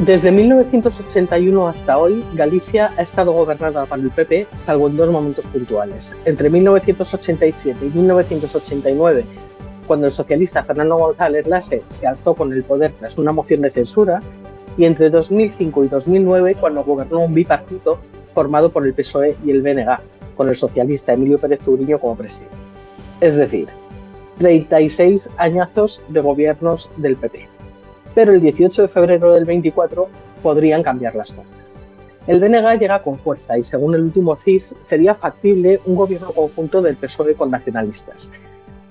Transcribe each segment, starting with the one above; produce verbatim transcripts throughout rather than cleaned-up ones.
Desde mil novecientos ochenta y uno hasta hoy, Galicia ha estado gobernada por el P P, salvo en dos momentos puntuales. Entre mil novecientos ochenta y siete y mil novecientos ochenta y nueve, cuando el socialista Fernando González Laxe se alzó con el poder tras una moción de censura, y entre dos mil cinco y dos mil nueve, cuando gobernó un bipartito formado por el P S O E y el B N G, con el socialista Emilio Pérez Uriño como presidente. Es decir, treinta y seis añazos de gobiernos del P P. Pero el dieciocho de febrero del veinticuatro podrían cambiar las cosas. El B N G llega con fuerza y, según el último C I S, sería factible un gobierno conjunto del P S O E con nacionalistas.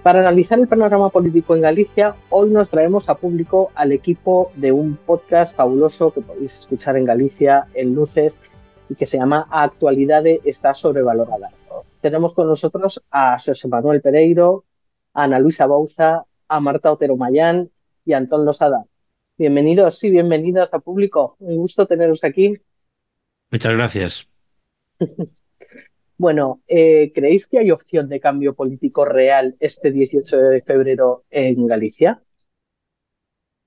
Para analizar el panorama político en Galicia, hoy nos traemos a público al equipo de un podcast fabuloso que podéis escuchar en Galicia, en Luces, y que se llama A Actualidade está sobrevalorada. Tenemos con nosotros a Xosé Manuel Pereiro, a Ana Luisa Bouza, a Marta Otero Mayán y a Antón Losada. Bienvenidos y bienvenidas a público. Un gusto teneros aquí. Muchas gracias. Bueno, eh, ¿creéis que hay opción de cambio político real este dieciocho de febrero en Galicia?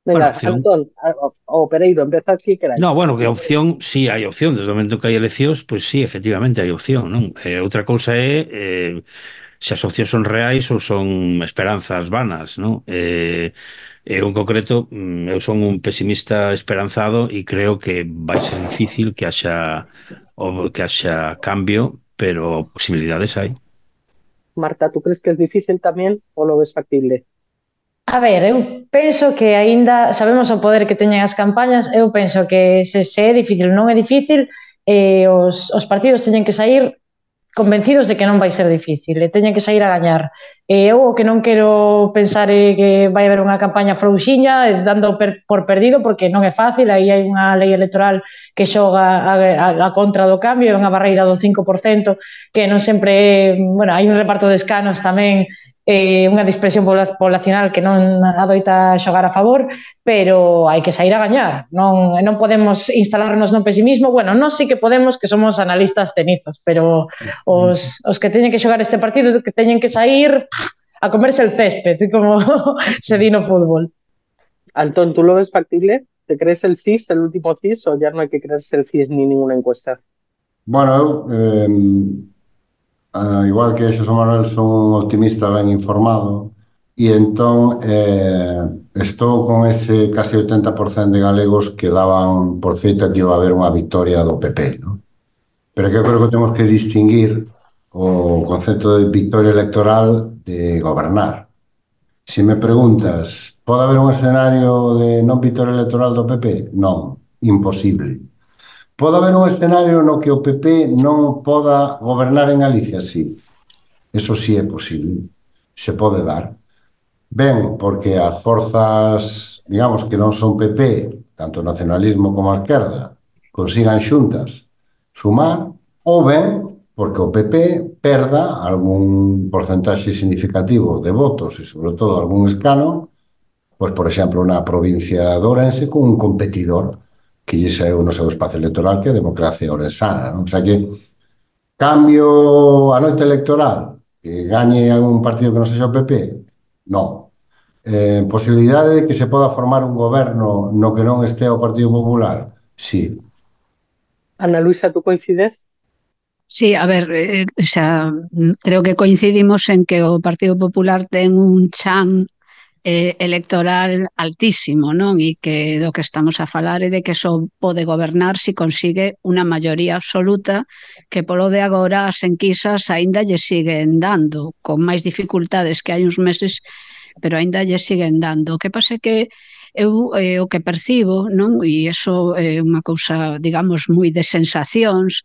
Bueno, Venga, opción. Antón o, o Pereiro, empezad quien queráis. No, bueno, que opción, sí hai opción. Desde o momento que hai eleccións, pois sí, efectivamente hai opción, non? Eh, outra cousa é eh, se as opcións son reais ou son esperanzas vanas, non? Eh, eu en concreto, mm, eu son un pesimista esperanzado e creo que vai ser difícil que haxa o que haxa cambio, pero posibilidades hai. Marta, ¿tú crees que es difícil también o lo ves factible? A ver, eu penso que aínda sabemos o poder que teñen as campañas, eu penso que se, se é difícil, non é difícil, eh, os, os partidos teñen que sair convencidos de que non vai ser difícil, e teñen que sair a gañar. E eu o que non quero pensar é que vai haber unha campaña frouxiña dando per, por perdido, porque non é fácil, aí hai unha lei electoral que xoga a, a, a contra do cambio, é unha barreira do cinco por cento, que non sempre é, bueno, hai un reparto de escanos tamén, eh, unha dispersión poblacional que non adoita xogar a favor, pero hai que sair a gañar, non, non podemos instalarnos no pesimismo. Bueno, non sí que podemos, que somos analistas cenizos, pero os, os que teñen que xogar este partido, que teñen que sair a comerse el césped, como se di no fútbol. Antón, ¿tú lo ves factible? ¿Te crees el C I S, el último C I S, o ya no hay que creerse el C I S ni ninguna encuesta? Bueno, eu, eh, Uh, igual que Xosé Manuel, son un optimista ben informado e entón eh, estou con ese casi oitenta por cento de galegos que daban por feito que iba a haber unha victoria do P P, ¿no? Pero que eu creo que temos que distinguir o concepto de victoria electoral de gobernar. Se me preguntas, pode haber un escenario de non victoria electoral do P P? Non, imposible. Pode haber un escenario no que o P P non poda gobernar en Galicia? Sí, eso sí é posible, se pode dar. Ben, porque as forzas, digamos, que non son P P, tanto o nacionalismo como a esquerda, consigan xuntas sumar, ou ben, porque o P P perda algún porcentaxe significativo de votos e, sobre todo, algún escano, pois, por exemplo, na provincia de Ourense, con un competidor que lle saiu no seu espacio electoral, que é a democracia orensana, non? O sea que cambio a noite electoral, que gañe algún partido que non sexa o P P, non. Eh, posibilidade de que se poda formar un goberno no que non este o Partido Popular? Sí. Ana Luisa, ¿tú coincides? Sí, a ver, eh, o sea, creo que coincidimos en que o Partido Popular ten un chan Eh, electoral altísimo, non? E que do que estamos a falar é de que só pode gobernar se consigue unha maioría absoluta, que polo de agora as enquisas aínda lle siguen dando, con máis dificultades que hai uns meses, pero aínda lle siguen dando. O que pasa é que eu eh, o que percibo, non? E iso é unha cousa, digamos, moi de sensacións,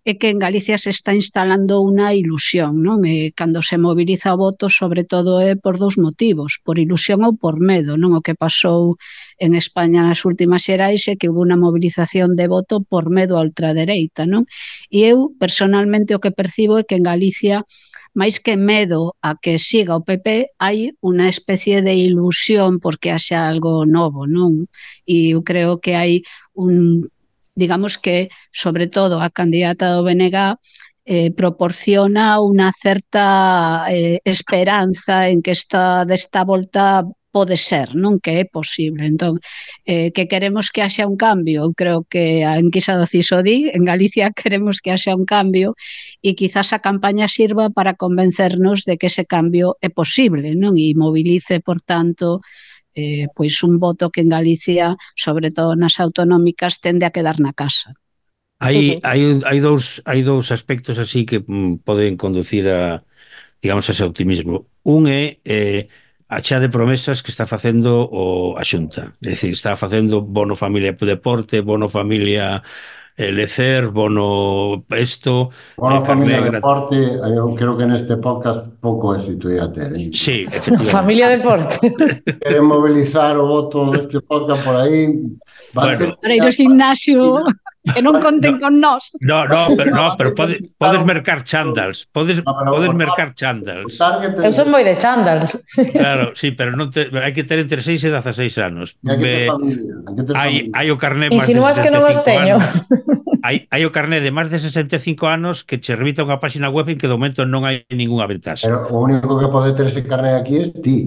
é que en Galicia se está instalando unha ilusión, non? E cando se moviliza o voto, sobre todo é por dous motivos, por ilusión ou por medo, non? O que pasou en España nas últimas xerais é que hubo unha movilización de voto por medo a ultradereita, non? E eu, personalmente, o que percibo é que en Galicia, máis que medo a que siga o P P, hai unha especie de ilusión porque haxa algo novo, non? E eu creo que hai un digamos que, sobre todo, a candidata do B N G eh, proporciona unha certa eh, esperanza en que esta desta volta pode ser, non que é posible. Entón, eh, que queremos que haxa un cambio, eu creo que a enquisa do CIS o di, en Galicia queremos que haxa un cambio e quizás a campaña sirva para convencernos de que ese cambio é posible, non? E movilice, por tanto, eh, pois un voto que en Galicia, sobre todo nas autonómicas, tende a quedar na casa. Hai, hai, hai, dous, hai dous aspectos así que mm, poden conducir a, digamos, ese optimismo. Un é eh, a chea de promesas que está facendo o a Xunta. É dicir, está facendo bono familia deporte, bono familia eh, lecer, bono esto, Bono eh, familia carné... deporte, eu creo que neste podcast pouco éxito ia ter. Eh? Sí, efectivamente. Familia deporte. Queren mobilizar o voto deste podcast por aí. Bueno, para ir ao gimnasio, que non conten no, con nós. No, no, pero, no, pero pode, podes mercar chándals, podes, No, pero podes o mercar tar- chándals. o target Eu son moi de chándals. Claro, sí, pero non te, hai que ter entre seis e dezaseis anos. hai que ter Be, familia, hai que ter hai, familia. hai o carné máis de Insinúas que non os sesenta e cinco teño. anos. Hai, hai o carné de máis de sesenta e cinco anos que che remita unha página web en que de momento non hai ningunha ventaxe. Pero o único que pode ter ese carné aquí é ti.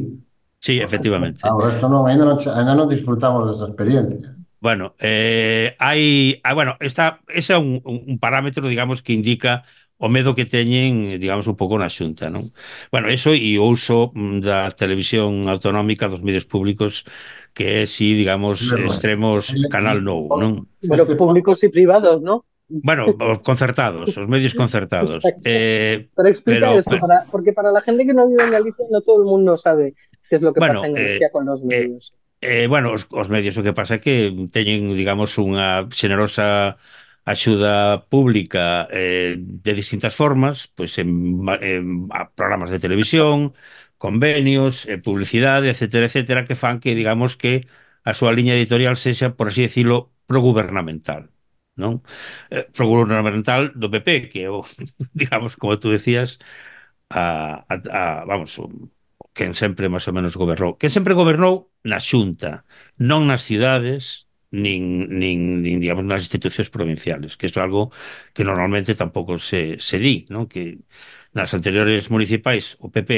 Sí, efectivamente. Ah, o resto non, ainda non, ainda non disfrutamos desa experiencia. Bueno, eh, hai, ah, bueno, esta, ese é un, un parámetro, digamos, que indica o medo que teñen, digamos, un pouco na Xunta, non? Bueno, eso e o uso da televisión autonómica dos medios públicos que é, si, digamos, Bueno, extremos Canal Nou, non? Pero públicos y privados, ¿no? Bueno, os concertados, os medios concertados. Eh, Pero explica pero, eso, pero, para, porque para la gente que no vive en Galicia, no todo el mundo sabe qué es lo que bueno, pasa en eh, Galicia con los medios. Eh, bueno, os, os medios o que pasa é que teñen, digamos, unha xenerosa axuda pública eh, de distintas formas, pois en, en a programas de televisión, convenios, eh, publicidade, etcétera, etcétera, que fan que, digamos, que a súa liña editorial sexa, por así decirlo, progubernamental, non? Eh, progubernamental do P P, que é o, digamos, como tú decías, a, a, a vamos, quen sempre máis ou menos gobernou. Quen sempre gobernou na Xunta, non nas cidades, nin, nin, nin digamos, nas institucións provinciales, que isto é algo que normalmente tampouco se, se di, non? Que nas anteriores municipais o P P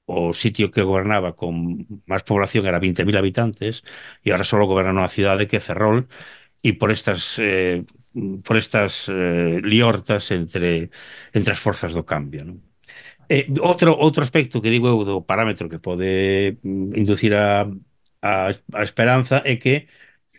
o sitio que gobernaba con máis población era veinte mil habitantes e agora só goberna unha cidade que é Ferrol e por estas eh, por estas eh, liortas entre, entre as forzas do cambio, non? Eh, outro, outro aspecto que digo eu do parámetro que pode mm, inducir a, a, a esperanza é que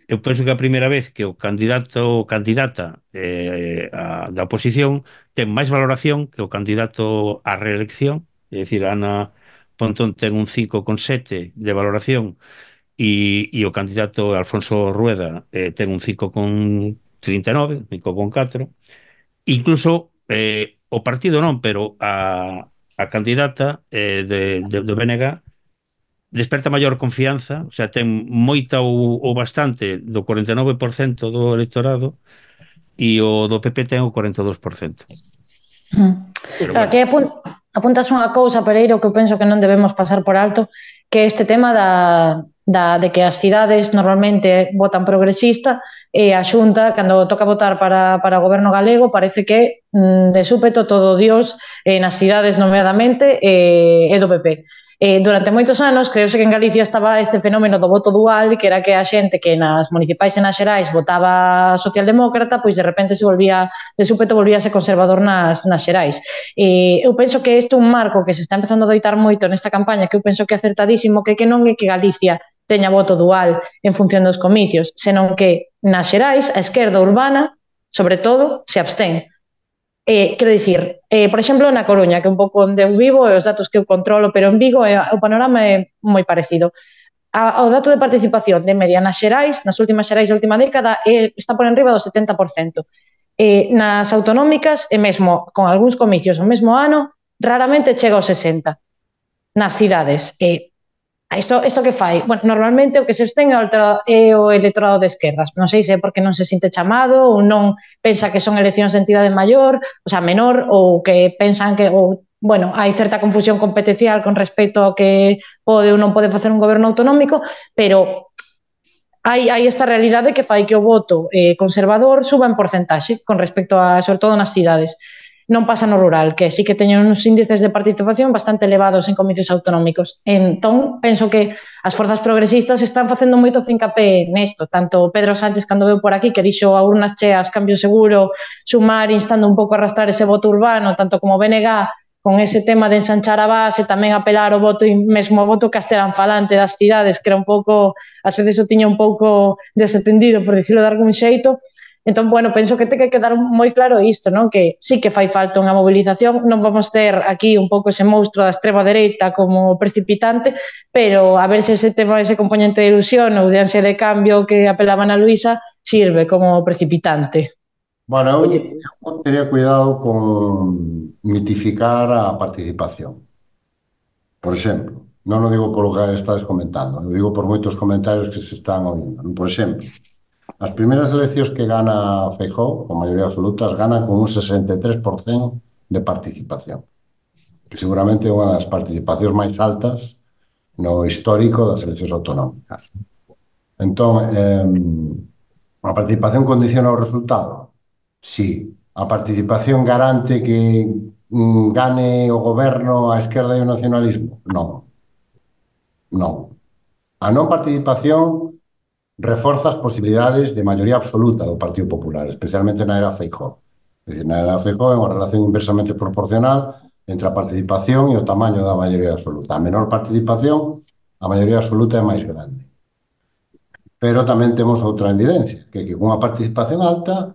eu penso que a primeira vez que o candidato ou candidata eh, a, da oposición ten máis valoración que o candidato á reelección, é dicir, Ana Pontón ten un cinco coma sete de valoración e, e o candidato Alfonso Rueda eh, ten un cinco coma trinta e nove, cinco coma catro. Incluso eh, o partido non, pero a a candidata eh, de, de, do B N G desperta maior confianza, o sea, ten moita ou, ou bastante do cuarenta e nove por cento do electorado e o do P P ten o cuarenta e dous por cento. Pero claro, bueno. Que apun apuntas unha cousa, Pereiro, que eu penso que non debemos pasar por alto, que este tema da, da, de que as cidades normalmente votan progresista e a Xunta, cando toca votar para, para o goberno galego, parece que mm, de súpeto todo Dios eh, nas cidades nomeadamente eh, é do P P. Eh, durante moitos anos, creuse que en Galicia estaba este fenómeno do voto dual, que era que a xente que nas municipais e nas xerais votaba socialdemócrata, pois de repente se volvía, de súpeto volvíase conservador nas, nas xerais. Eh, eu penso que isto é un marco que se está empezando a doitar moito nesta campaña, que eu penso que é acertadísimo, que que non é que Galicia teña voto dual en función dos comicios, senón que nas xerais a esquerda urbana, sobre todo, se abstén. Eh, quero dicir, eh, por exemplo, na Coruña, que é un pouco onde eu vivo e os datos que eu controlo, pero en Vigo eh, o panorama é moi parecido. A, o dato de participación de media nas xerais, nas últimas xerais da última década, eh, está por enriba do setenta por cento. Eh, nas autonómicas, e mesmo con algúns comicios o mesmo ano, raramente chega ao sesenta por cento. Nas cidades, eh, Isto, isto que fai? Bueno, normalmente o que se abstén é o electorado de esquerdas. Non sei se é porque non se sinte chamado ou non pensa que son eleccións de entidade maior, o sea, menor, ou que pensan que, ou, bueno, hai certa confusión competencial con respecto ao que pode ou non pode facer un goberno autonómico, pero hai, hai esta realidade que fai que o voto eh, conservador suba en porcentaxe con respecto a, sobre todo nas cidades. non pasa no rural, que sí que teñen uns índices de participación bastante elevados en comicios autonómicos. Entón, penso que as forzas progresistas están facendo moito fincapé nesto, tanto Pedro Sánchez cando veu por aquí, que dixo a urnas cheas, cambio seguro, Sumar instando un pouco a arrastrar ese voto urbano, tanto como B N G con ese tema de ensanchar a base, tamén apelar o voto, mesmo o voto castelán falante das cidades, que era un pouco, ás veces o tiña un pouco desatendido, por dicirlo de algún xeito. Entón, bueno, penso que ten que quedar moi claro isto, non? Que sí que fai falta unha mobilización, non vamos ter aquí un pouco ese monstro da extrema dereita como precipitante, pero a ver se ese tema, ese componente de ilusión ou de ansia de cambio que apelaban a Luisa sirve como precipitante. Bueno, eu, eu teria cuidado con mitificar a participación. Por exemplo, non o digo polo que estades comentando, o digo por moitos comentarios que se están oindo. Por exemplo, as primeiras eleccións que gana Feijóo, con maioría absoluta, as gana con un sesenta e tres por cento de participación, que seguramente é unha das participacións máis altas no histórico das eleccións autonómicas. Entón, eh, a participación condiciona o resultado? Sí. A participación garante que mm, gane o goberno a esquerda e o nacionalismo? Non. Non. A non participación reforza as posibilidades de maioría absoluta do Partido Popular, especialmente na era Feijóo. É dicir, na era Feijóo é unha relación inversamente proporcional entre a participación e o tamaño da maioría absoluta. A menor participación, a maioría absoluta é máis grande. Pero tamén temos outra evidencia, que, que con unha participación alta,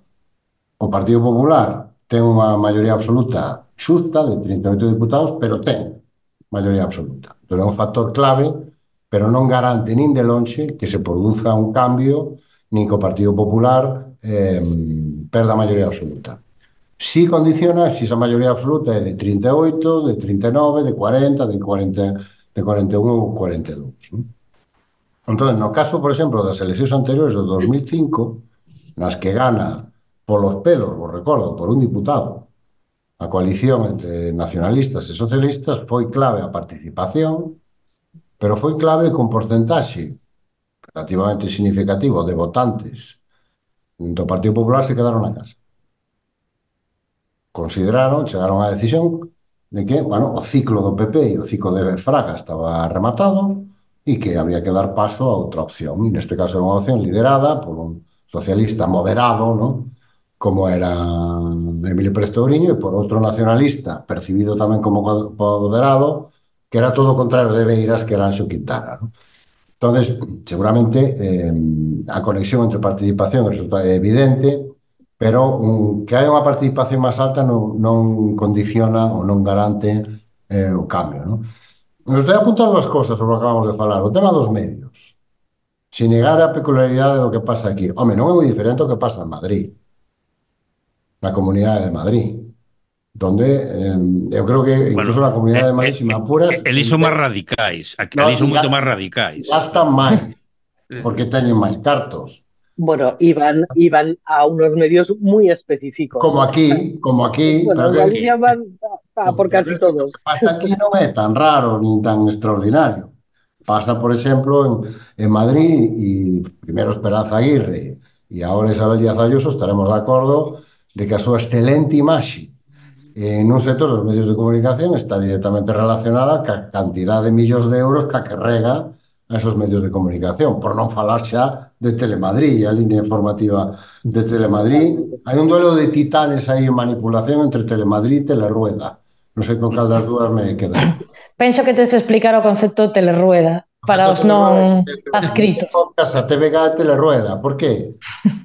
o Partido Popular ten unha maioría absoluta xusta de trinta e oito diputados, pero ten maioría absoluta. Entón é un factor clave, pero non garante nin de lonxe que se produza un cambio, nin que o Partido Popular eh, perda a maioría absoluta. Si condiciona, si esa maioría absoluta é de trinta e oito, de trinta e nove, de cuarenta, de cuarenta, de cuarenta e un ou cuarenta e dous. Entón, no caso, por exemplo, das eleccións anteriores do dos mil cinco, nas que gana polos pelos, vos recordo, por un diputado, a coalición entre nacionalistas e socialistas, foi clave a participación, pero foi clave con porcentaxe relativamente significativo de votantes do Partido Popular se quedaron na casa. Consideraron, chegaron á decisión de que, bueno, o ciclo do P P e o ciclo de Fraga estaba rematado e que había que dar paso a outra opción. E neste caso era unha opción liderada por un socialista moderado, non? Como era Emilio Pérez Touriño, e por outro nacionalista, percibido tamén como moderado, que era todo o contrario de Beiras, que era Anxo Quintana. ¿No? Entonces, seguramente, eh, a conexión entre participación é evidente, pero um, que hai unha participación máis alta non, non condiciona ou non garante eh, o cambio. ¿No? Nos estou apuntando as cosas sobre o que acabamos de falar. O tema dos medios. Se negar a peculiaridade do que pasa aquí. Home, non é moi diferente o que pasa en Madrid. Na Comunidade de Madrid, donde eh, eu creo que incluso bueno, na Comunidade de Madrid, eh, se me apuras... Eles son máis radicais, aquí no, son moito máis radicais. Gastan máis, porque teñen máis cartos. Bueno, iban, iban a unos medios muy específicos. Como aquí, como aquí... Bueno, en Galicia van a por casi todos. O que pasa aquí non é tan raro, nin tan extraordinario. Pasa, por exemplo, en, en Madrid, e primeiro Esperanza Aguirre, e agora Isabel Díaz Ayuso, estaremos de acordo de que a súa excelente imaxe en un sector dos medios de comunicación está directamente relacionada ca cantidad de millóns de euros que carrega a esos medios de comunicación, por non falar xa de Telemadrid, a línea informativa de Telemadrid. Hai un duelo de titanes aí en manipulación entre Telemadrid e Telerueda. Non sei con cal das dúas me queda. Penso que tens que explicar o concepto Telerueda para os non adscritos. A T V G e Telerueda. Por qué?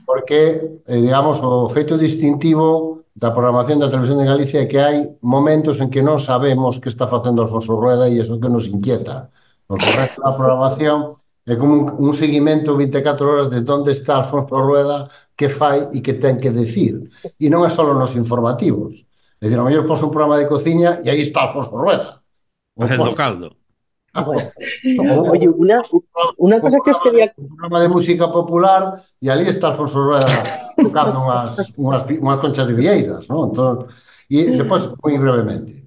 Porque, eh, digamos, o feito distintivo da programación da Televisión de Galicia é que hai momentos en que non sabemos que está facendo Alfonso Rueda e iso que nos inquieta. Porque o resto da programación é como un, un seguimento vinte e catro horas de onde está Alfonso Rueda, que fai e que ten que decir. E non é só nos informativos. É dicir, a mellor pos un programa de cociña e aí está Alfonso Rueda. Facendo caldo. Bueno. Oye, una, una cosa que os quería... Un programa de música popular e ali está Alfonso Rueda tocando unhas, unhas, unhas conchas de vieiras, ¿no? Entón, e depois, moi brevemente,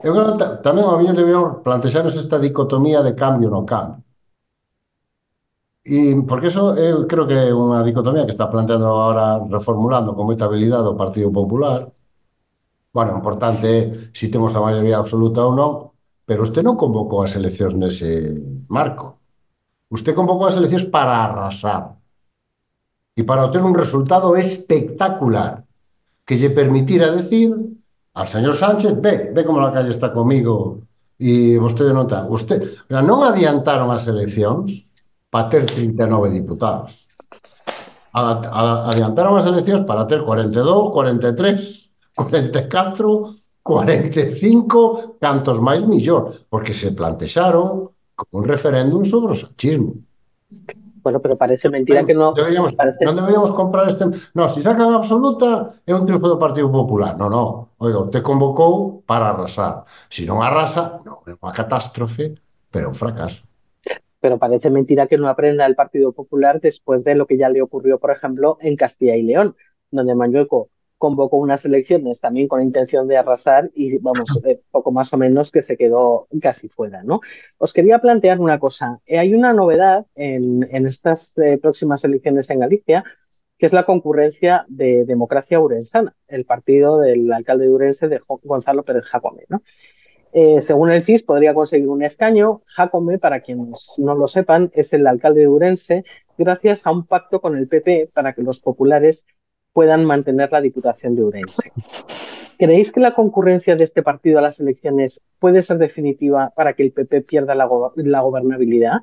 eu creo que tamén a miña deberíamos plantexarnos esta dicotomía de cambio no cambio. E porque eso eu creo que é unha dicotomía que está planteando agora, reformulando con moita habilidade o Partido Popular, Bueno, o importante é se temos a maioría absoluta ou non, pero usted non convocou as eleccións nese marco. Usted convocou as eleccións para arrasar e para obter un resultado espectacular que lle permitira decir al señor Sánchez, ve, ve como la calle está comigo e vostede non está. Usted, non adiantaron as eleccións para ter trinta e nove diputados. Adiantaron as eleccións para ter cuarenta e dous, cuarenta e tres, cuarenta e catro, cuarenta e cinco, cantos máis millor, porque se plantexaron como un referéndum sobre o sanchismo. Bueno, pero parece mentira que no... Deberíamos, parece... non deberíamos comprar este... No, se sacan absoluta é un triunfo do Partido Popular. No, no. Oiga, usted convocou para arrasar. Se non arrasa, non, é unha catástrofe, pero un fracaso. Pero parece mentira que no aprenda el Partido Popular después de lo que ya le ocurrió, por ejemplo, en Castilla y León, donde Mañueco convocó unas elecciones también con intención de arrasar y, vamos, eh, poco más o menos que se quedó casi fuera, ¿no? Os quería plantear una cosa. Eh, hay una novedad en, en estas eh, próximas elecciones en Galicia, que es la concurrencia de Democracia Ourensana, el partido del alcalde de Ourense, de Gonzalo Pérez Jacome, ¿no? Eh, según el C I S, podría conseguir un escaño. Jacome, para quienes no lo sepan, es el alcalde de Ourense gracias a un pacto con el P P para que los populares puedan mantener la Diputación de Ourense. ¿Creéis que la concurrencia de este partido a las elecciones puede ser definitiva para que el P P pierda la, go la gobernabilidad?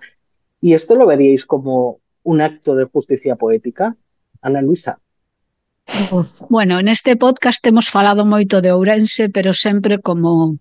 ¿Y esto lo veríais como un acto de justicia poética? Ana Luisa. Bueno, neste podcast hemos falado moito de Ourense, pero sempre como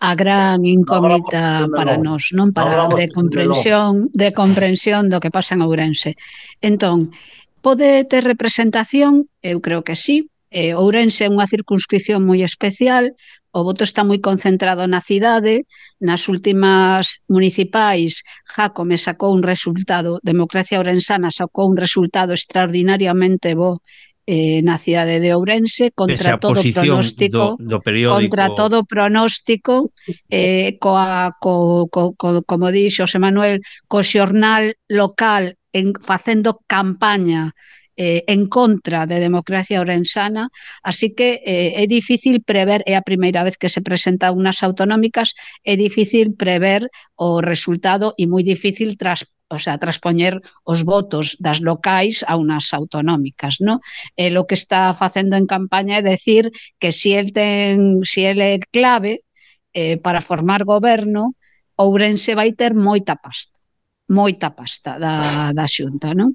a gran incógnita para nós, non? Para de comprensión, de comprensión do que pasa en Ourense. Entón, pode ter representación? Eu creo que sí. Eh, Ourense é unha circunscripción moi especial, o voto está moi concentrado na cidade. Nas últimas municipais, Jacome sacou un resultado, Democracia Ourensana sacou un resultado extraordinariamente bo eh, na cidade de Ourense, contra todo pronóstico, do, do periódico... contra todo pronóstico, eh, coa, co, co, co, como di Xosé Manuel, co xornal local en, facendo campaña eh, en contra de Democracia Ourensana, así que eh, é difícil prever, é a primeira vez que se presenta unas autonómicas, é difícil prever o resultado e moi difícil tras o sea, traspoñer os votos das locais a unas autonómicas, ¿no? Eh, lo que está facendo en campaña é decir que si el ten, si el é clave eh, para formar goberno, Ourense vai ter moita pasta, moita pasta da, da Xunta, non?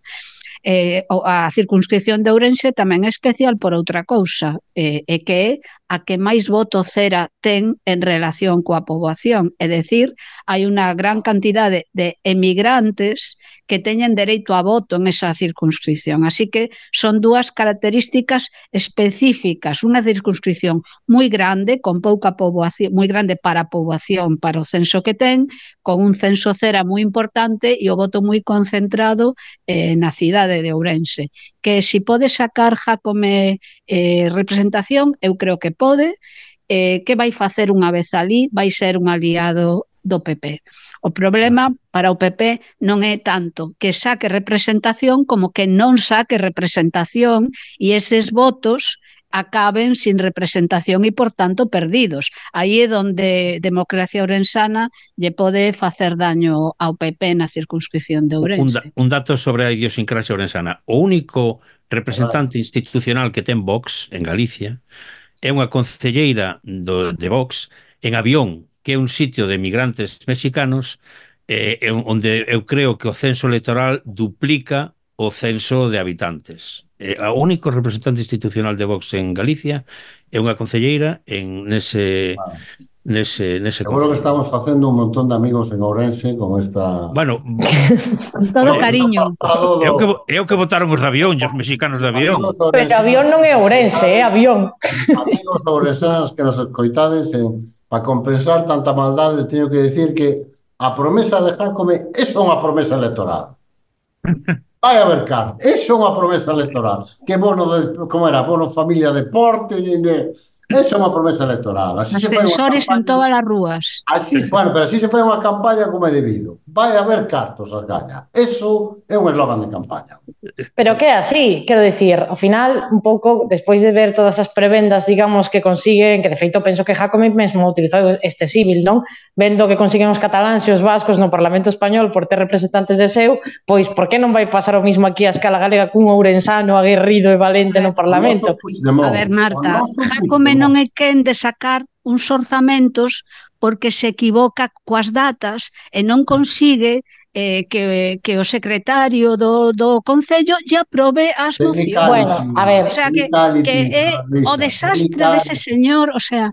Eh, a circunscripción de Ourense tamén é especial por outra cousa, eh, é que é a que máis voto cera ten en relación coa poboación, é dicir, hai unha gran cantidade de emigrantes que teñen dereito a voto en esa circunscripción. Así que son dúas características específicas, unha circunscripción moi grande, con pouca poboación, moi grande para a poboación, para o censo que ten, con un censo cera moi importante e o voto moi concentrado eh, na cidade de Ourense. Que si pode sacar Jacome eh, representación, eu creo que pode. Eh, que vai facer unha vez ali? Vai ser un aliado do P P. O problema para o P P non é tanto que saque representación como que non saque representación e eses votos acaben sin representación e, por tanto, perdidos. Aí é onde Democracia Ourensana lle pode facer daño ao P P na circunscripción de Ourense. Un, da, un dato sobre a idiosincrasia ourensana. O único representante institucional que ten Vox en Galicia é unha concelleira do, de Vox en Avión, que é un sitio de migrantes mexicanos eh, onde eu creo que o censo electoral duplica o censo de habitantes. Eh, o único representante institucional de Vox en Galicia é unha concelleira en nese... Wow. Nese, nese Seguro que estamos facendo un montón de amigos en Ourense con esta... Bueno, con todo cariño. É o que, é o que votaron os de Avión, os mexicanos de Avión. Pero Avión non é Ourense, é Avión. Amigos ourensanos que nos escoitades, eh, para compensar tanta maldade, teño que decir que a promesa de Jacome é só unha promesa electoral. Vai a ver, Carlos, é só unha promesa electoral. Que bono, de, como era, bono familia deporte, de... Esa é unha promesa electoral. Así ascensores en todas as rúas. Así, bueno, pero así se fai unha campaña como é debido. vai haber cartos as gaña. Eso é un eslogan de campaña. Pero que é así, quero dicir, ao final, un pouco, despois de ver todas as prebendas, digamos, que consiguen, que de feito penso que Jácome mesmo utilizou este símil, non? Vendo que consiguen os cataláns e os vascos no Parlamento Español por ter representantes de seu, pois por que non vai pasar o mismo aquí a escala galega cun ourensano aguerrido e valente no Parlamento? A ver, Marta, Jácome non é quen de sacar uns orzamentos porque se equivoca coas datas e non consigue eh, que, que o secretario do, do Concello lle aprobe as mocións. Bueno, a ver, o sea, que, que é o desastre dese señor, o sea...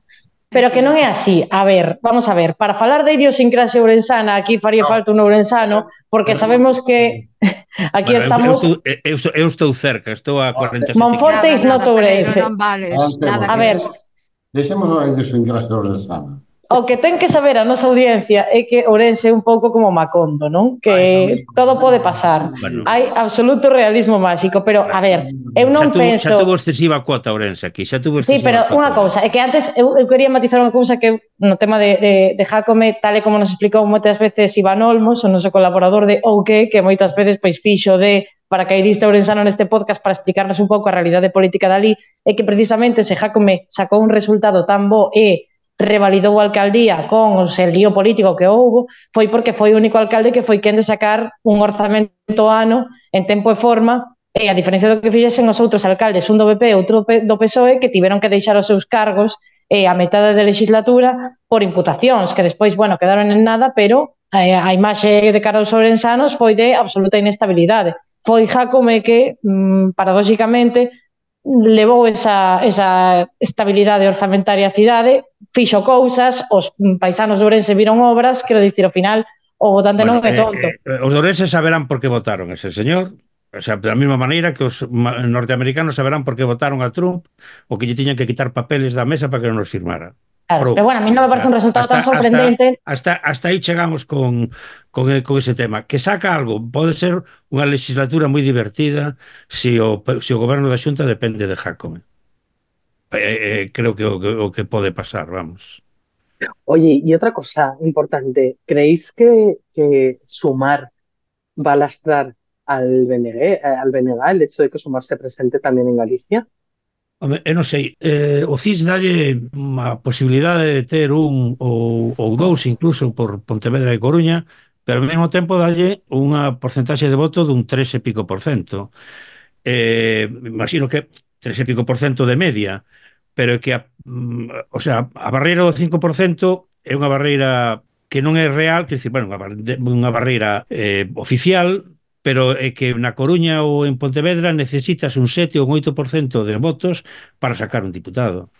Pero que non é así. A ver, vamos a ver, para falar de idiosincrasia ourensana, aquí faría no. falta un ourensano, porque sabemos que aquí bueno, estamos... Eu, eu, eu, eu estou cerca, estou a cuarenta e sete. Monforte is not ourense. Non vale, nada a ver... Deixemos a idiosincrasia ourensana. O que ten que saber a nosa audiencia é que Ourense é un pouco como Macondo, non? Que Ay, todo pode pasar. Bueno. Hai absoluto realismo máxico, pero, a ver, eu non xa tuvo, penso... Xa tuvo excesiva cuota Ourense aquí, xa tuvo excesiva Sí, pero unha cousa, é que antes eu, eu quería matizar unha cousa que no tema de, de, de Jácome, tal e como nos explicou moitas veces Iván Olmos, o noso colaborador de O que, que moitas veces pois fixo de paracaidista ourensano neste podcast para explicarnos un pouco a realidade política dali, é que precisamente se Jácome sacou un resultado tan bo e revalidou a alcaldía con o seu lío político que houbo, foi porque foi o único alcalde que foi quen de sacar un orzamento ano en tempo e forma, e a diferencia do que fixesen os outros alcaldes, un do B P e outro do P S O E, que tiveron que deixar os seus cargos eh, a metade de legislatura por imputacións, que despois, bueno, quedaron en nada, pero eh, a imaxe de cara aos ourensanos foi de absoluta inestabilidade. Foi Jácome que, mmm, paradóxicamente, levou esa, esa estabilidade orzamentaria á cidade, fixo cousas, os paisanos de Ourense viron obras, quero dicir, ao final, o votante bueno, non é tonto. Eh, eh, os de Ourense saberán por que votaron ese señor, o sea, da mesma maneira que os norteamericanos saberán por que votaron a Trump, o que lle tiñan que quitar papeles da mesa para que non os firmara. Claro, pero bueno, a mí non me parece un resultado hasta, tan sorprendente. Hasta, hasta, hasta aí chegamos con, con, con ese tema. Que saca algo, pode ser unha legislatura moi divertida se o, se o goberno da Xunta depende de Jácome. Eh, eh, creo que o, o que pode pasar, vamos. Oye, y otra cosa importante, ¿creéis que, que Sumar va a lastrar al B N G, al B N G el hecho de que Sumar se presente tamén en Galicia? Home, eu non sei, eh, o C I S dalle a posibilidade de ter un ou, ou dous incluso por Pontevedra e Coruña, pero ao mesmo tempo dalle unha porcentaxe de voto dun tres e pico por cento. Eh, imagino que tres e pico por cento de media, pero é que a, o sea, a barreira do cinco por cento é unha barreira que non é real, que decir, bueno, unha barreira eh, oficial, pero é que na Coruña ou en Pontevedra necesitas un sete ou un oito por cento de votos para sacar un diputado.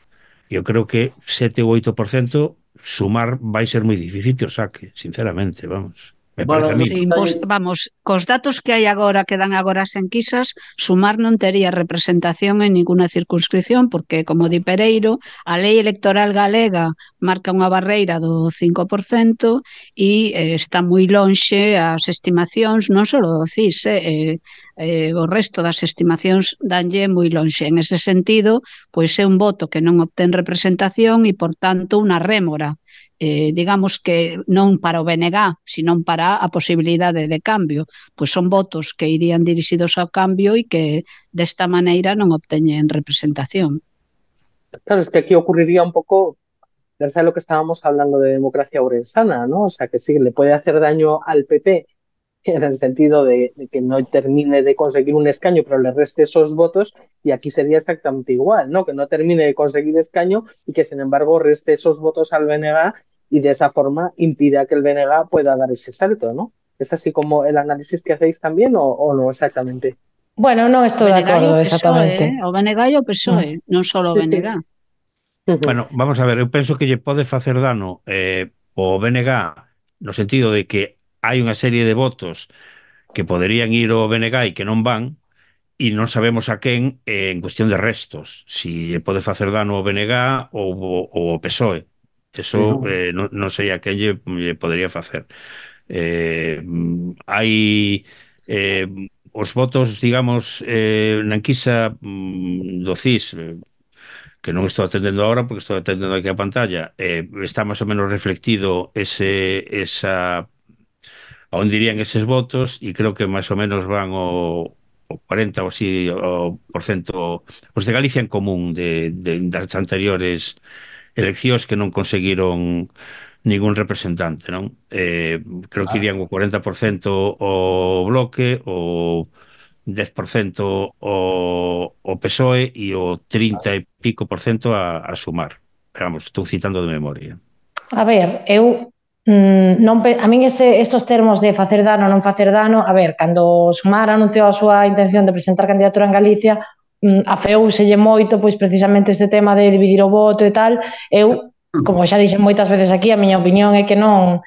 Eu creo que sete ou oito por cento Sumar vai ser moi difícil que o saque, sinceramente, vamos. Me parece bueno, a mí. Sí, pues, vamos, cos datos que hai agora, que dan agora as enquisas, Sumar non tería representación en ninguna circunscripción, porque, como di Pereiro, a lei electoral galega marca unha barreira do cinco por cento e eh, está moi lonxe as estimacións, non só do C I S, eh, eh, o resto das estimacións danlle moi lonxe. En ese sentido, pois é un voto que non obtén representación e, por tanto, unha rémora. Eh, digamos que non para o B N G, sino para a posibilidade de cambio, pois son votos que irían dirixidos ao cambio e que desta maneira non obteñen representación. Claro, es que aquí ocurriría un poco, ya sabes lo que estábamos hablando de democracia ourensana, ¿no? O sea, que sí, le puede hacer daño al P P en el sentido de, de que no termine de conseguir un escaño, pero le reste esos votos, y aquí sería exactamente igual, ¿no? Que no termine de conseguir escaño y que, sin embargo, reste esos votos al B N G y de esa forma impida que el B N G pueda dar ese salto, ¿no? ¿Es así como el análisis que hacéis también o, o no exactamente? Bueno, non estou de acordo, exactamente. O B N G e o P S O E, non só o B N G. Bueno, vamos a ver, eu penso que lle pode facer dano eh, o B N G no sentido de que hai unha serie de votos que poderían ir ao B N G e que non van, e non sabemos a quen eh, en cuestión de restos, si lle pode facer dano ao B N G ou ao P S O E. Eso eh, non, non sei a quen lle, lle podería facer. Eh, hai eh, os votos, digamos, eh, na enquisa mm, do C I S, eh, que non estou atendendo agora porque estou atendendo aquí a pantalla, eh, está máis ou menos reflectido ese, esa a onde irían eses votos, e creo que máis ou menos van o, o cuarenta ou así o por cento os de Galicia en común de, de, das anteriores eleccións que non conseguiron ningún representante, non? Eh, creo que Ah, irían o cuarenta por cento o Bloque, o dez por cento o, o P S O E e o trinta e pico por cento a, a Sumar. Pero vamos, estou citando de memoria. A ver, eu mm, non pe, a min este, estos termos de facer dano ou non facer dano, a ver, cando Sumar anunciou a súa intención de presentar candidatura en Galicia, mm, afeouselle moito pois precisamente este tema de dividir o voto e tal. Eu, como xa dixen moitas veces aquí, a miña opinión é que non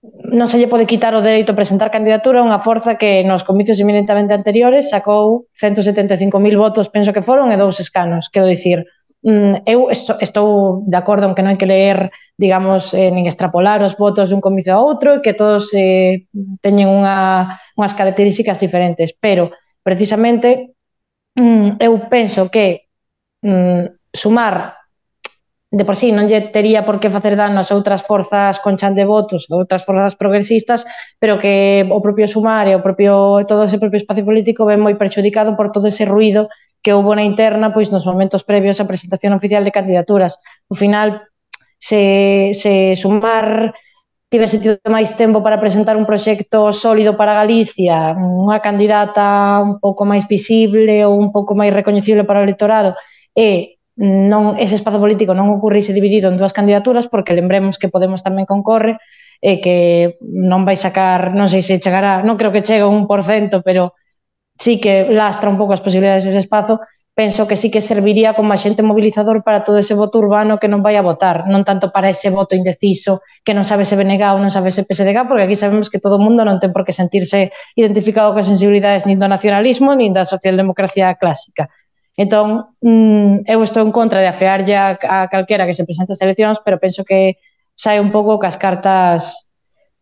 non se lle pode quitar o dereito a presentar candidatura a unha forza que nos comicios eminentemente anteriores sacou ciento setenta e cinco mil votos, penso que foron, e dous escanos. Quero dicir, eu estou de acordo en que non hai que leer, digamos, eh, nin extrapolar os votos dun comicio a outro e que todos eh, teñen unha, unhas características diferentes, pero precisamente eu penso que mm, Sumar de por sí non lle tería por que facer dano ás outras forzas con chan de votos, outras forzas progresistas, pero que o propio Sumar e o propio todo ese propio espacio político ven moi perxudicado por todo ese ruído que houve na interna pois nos momentos previos á presentación oficial de candidaturas. Ao final, se, se Sumar tivese tido máis tempo para presentar un proxecto sólido para Galicia, unha candidata un pouco máis visible ou un pouco máis recoñecible para o electorado, e non ese espazo político non ocurrise dividido en dúas candidaturas, porque lembremos que Podemos tamén concorre e que non vai sacar, non sei se chegará, non creo que chegue a un por cento, pero sí que lastra un pouco as posibilidades dese espazo. Penso que sí que serviría como axente mobilizador para todo ese voto urbano que non vai a votar, non tanto para ese voto indeciso que non sabe se B N G ou non sabe se P S D G, porque aquí sabemos que todo o mundo non ten por que sentirse identificado coas sensibilidades nin do nacionalismo nin da socialdemocracia clásica. Entón, eu estou en contra de afearlle a, a calquera que se presente as eleccións, pero penso que sai un pouco cas cartas,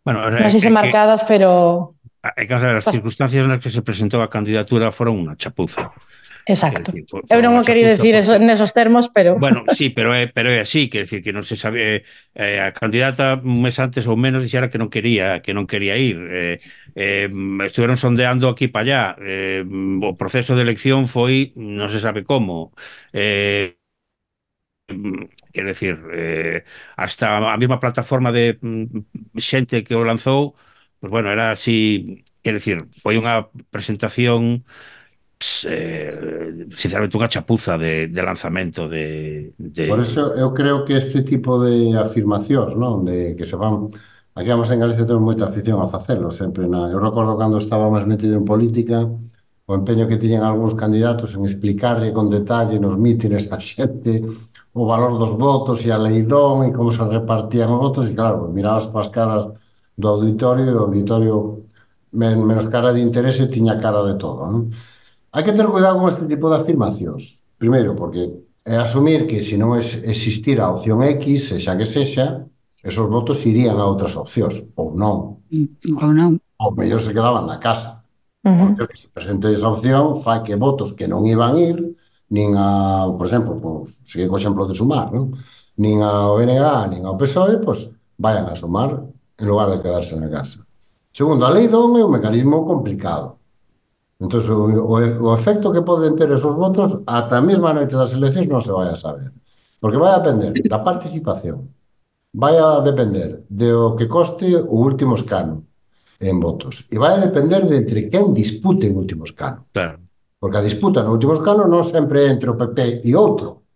bueno, non sei se marcadas, pero... É que as circunstancias nas que se presentou a candidatura foron unha chapuza. Exacto. Decir, for, eu non o quería decir eso, nesos termos, pero... Bueno, sí, pero é, pero é así, quer decir que non se sabe, eh, a candidata un mes antes ou menos dixera que non quería que non quería ir. Eh, eh, estuveron sondeando aquí para allá. Eh, o proceso de elección foi, non se sabe como. Eh, quer decir, eh, hasta a mesma plataforma de xente que o lanzou, pues bueno, era así, quer decir, foi unha presentación Eh, sinceramente unha chapuza de, de lanzamento de, de... Por eso eu creo que este tipo de afirmacións, non? De que se van... Aquí vamos en Galicia temos moita afición a facelo, sempre na... Eu recordo cando estaba máis metido en política, o empeño que tiñan algúns candidatos en explicarle con detalle nos mítines a xente o valor dos votos e a leidón e como se repartían os votos, e claro, mirabas para as caras do auditorio e o auditorio men menos cara de interese tiña cara de todo, non? Hai que ter cuidado con este tipo de afirmacións. Primeiro, porque é asumir que se non existira a opción X, sexa que sexa, esos votos irían a outras opcións, ou non. Ou non. Ou mellor se quedaban na casa. Uh-huh. Porque se presente esa opción, fai que votos que non iban ir, nin a, por exemplo, pues, sigue co exemplo de Sumar, non? Nin ao B N G, nin ao P S O E, pues, vayan a Sumar en lugar de quedarse na casa. Segundo, a lei don é un mecanismo complicado. Entón, o, o efecto que poden ter esos votos ata a mesma noite das eleccións non se vai a saber. Porque vai a depender da participación, vai a depender do que coste o último escano en votos, e vai a depender de entre quen dispute o último escano. Claro. Porque a disputa no último escano non sempre é entre o P P e outro.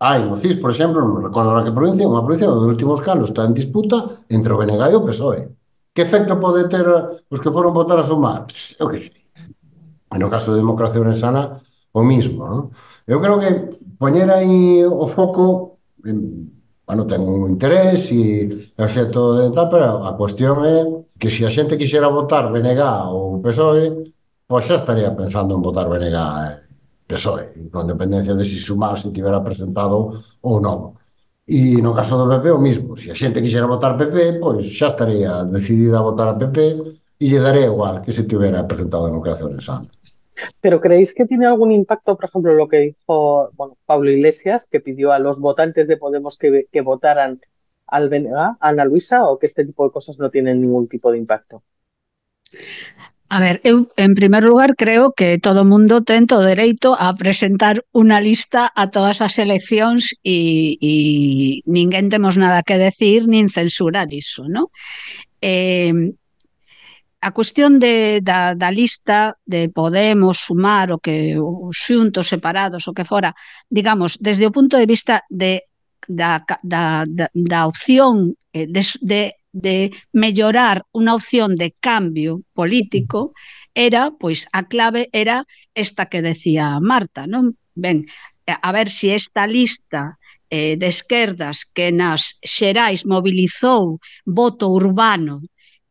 Hai no C I S, por exemplo, non recordo a que provincia, unha provincia onde o último escano está en disputa entre o B N G e o P S O E. Que efecto pode ter os que foron votar a Sumar? Eu que sei. No caso de Democracia Orensana, o mismo, non? Eu creo que poñer aí o foco, bueno, ten un interés e é xeto de tal, pero a cuestión é que se a xente quixera votar B N G ou P S O E, pois xa estaría pensando en votar B N G e P S O E, con dependencia de si Sumar se tivera presentado ou non. E no caso do P P o mismo, se a xente quixera votar P P, pois xa estaría decidida a votar a P P e lle daría igual que se tivera presentado a Democracia Orensana. ¿Pero creéis que tiene algún impacto, por ejemplo, lo que dijo bueno, Pablo Iglesias, que pidió a los votantes de Podemos que, que votaran al B N G, Ana Luisa, o que este tipo de cosas no tienen ningún tipo de impacto? A ver, eu, en primer lugar, creo que todo o mundo ten todo o dereito a presentar unha lista a todas as eleccións e, e ninguén temos nada que decir nin censurar iso, non? Eh, a cuestión de, da, da lista de Podemos, Sumar, o que os xuntos separados, o que fora, digamos, desde o punto de vista de, da, da, da, da opción eh, de, de de mellorar unha opción de cambio político, era, pois, a clave era esta que decía Marta, non? Ben, a ver se si esta lista eh, de esquerdas que nas xerais mobilizou voto urbano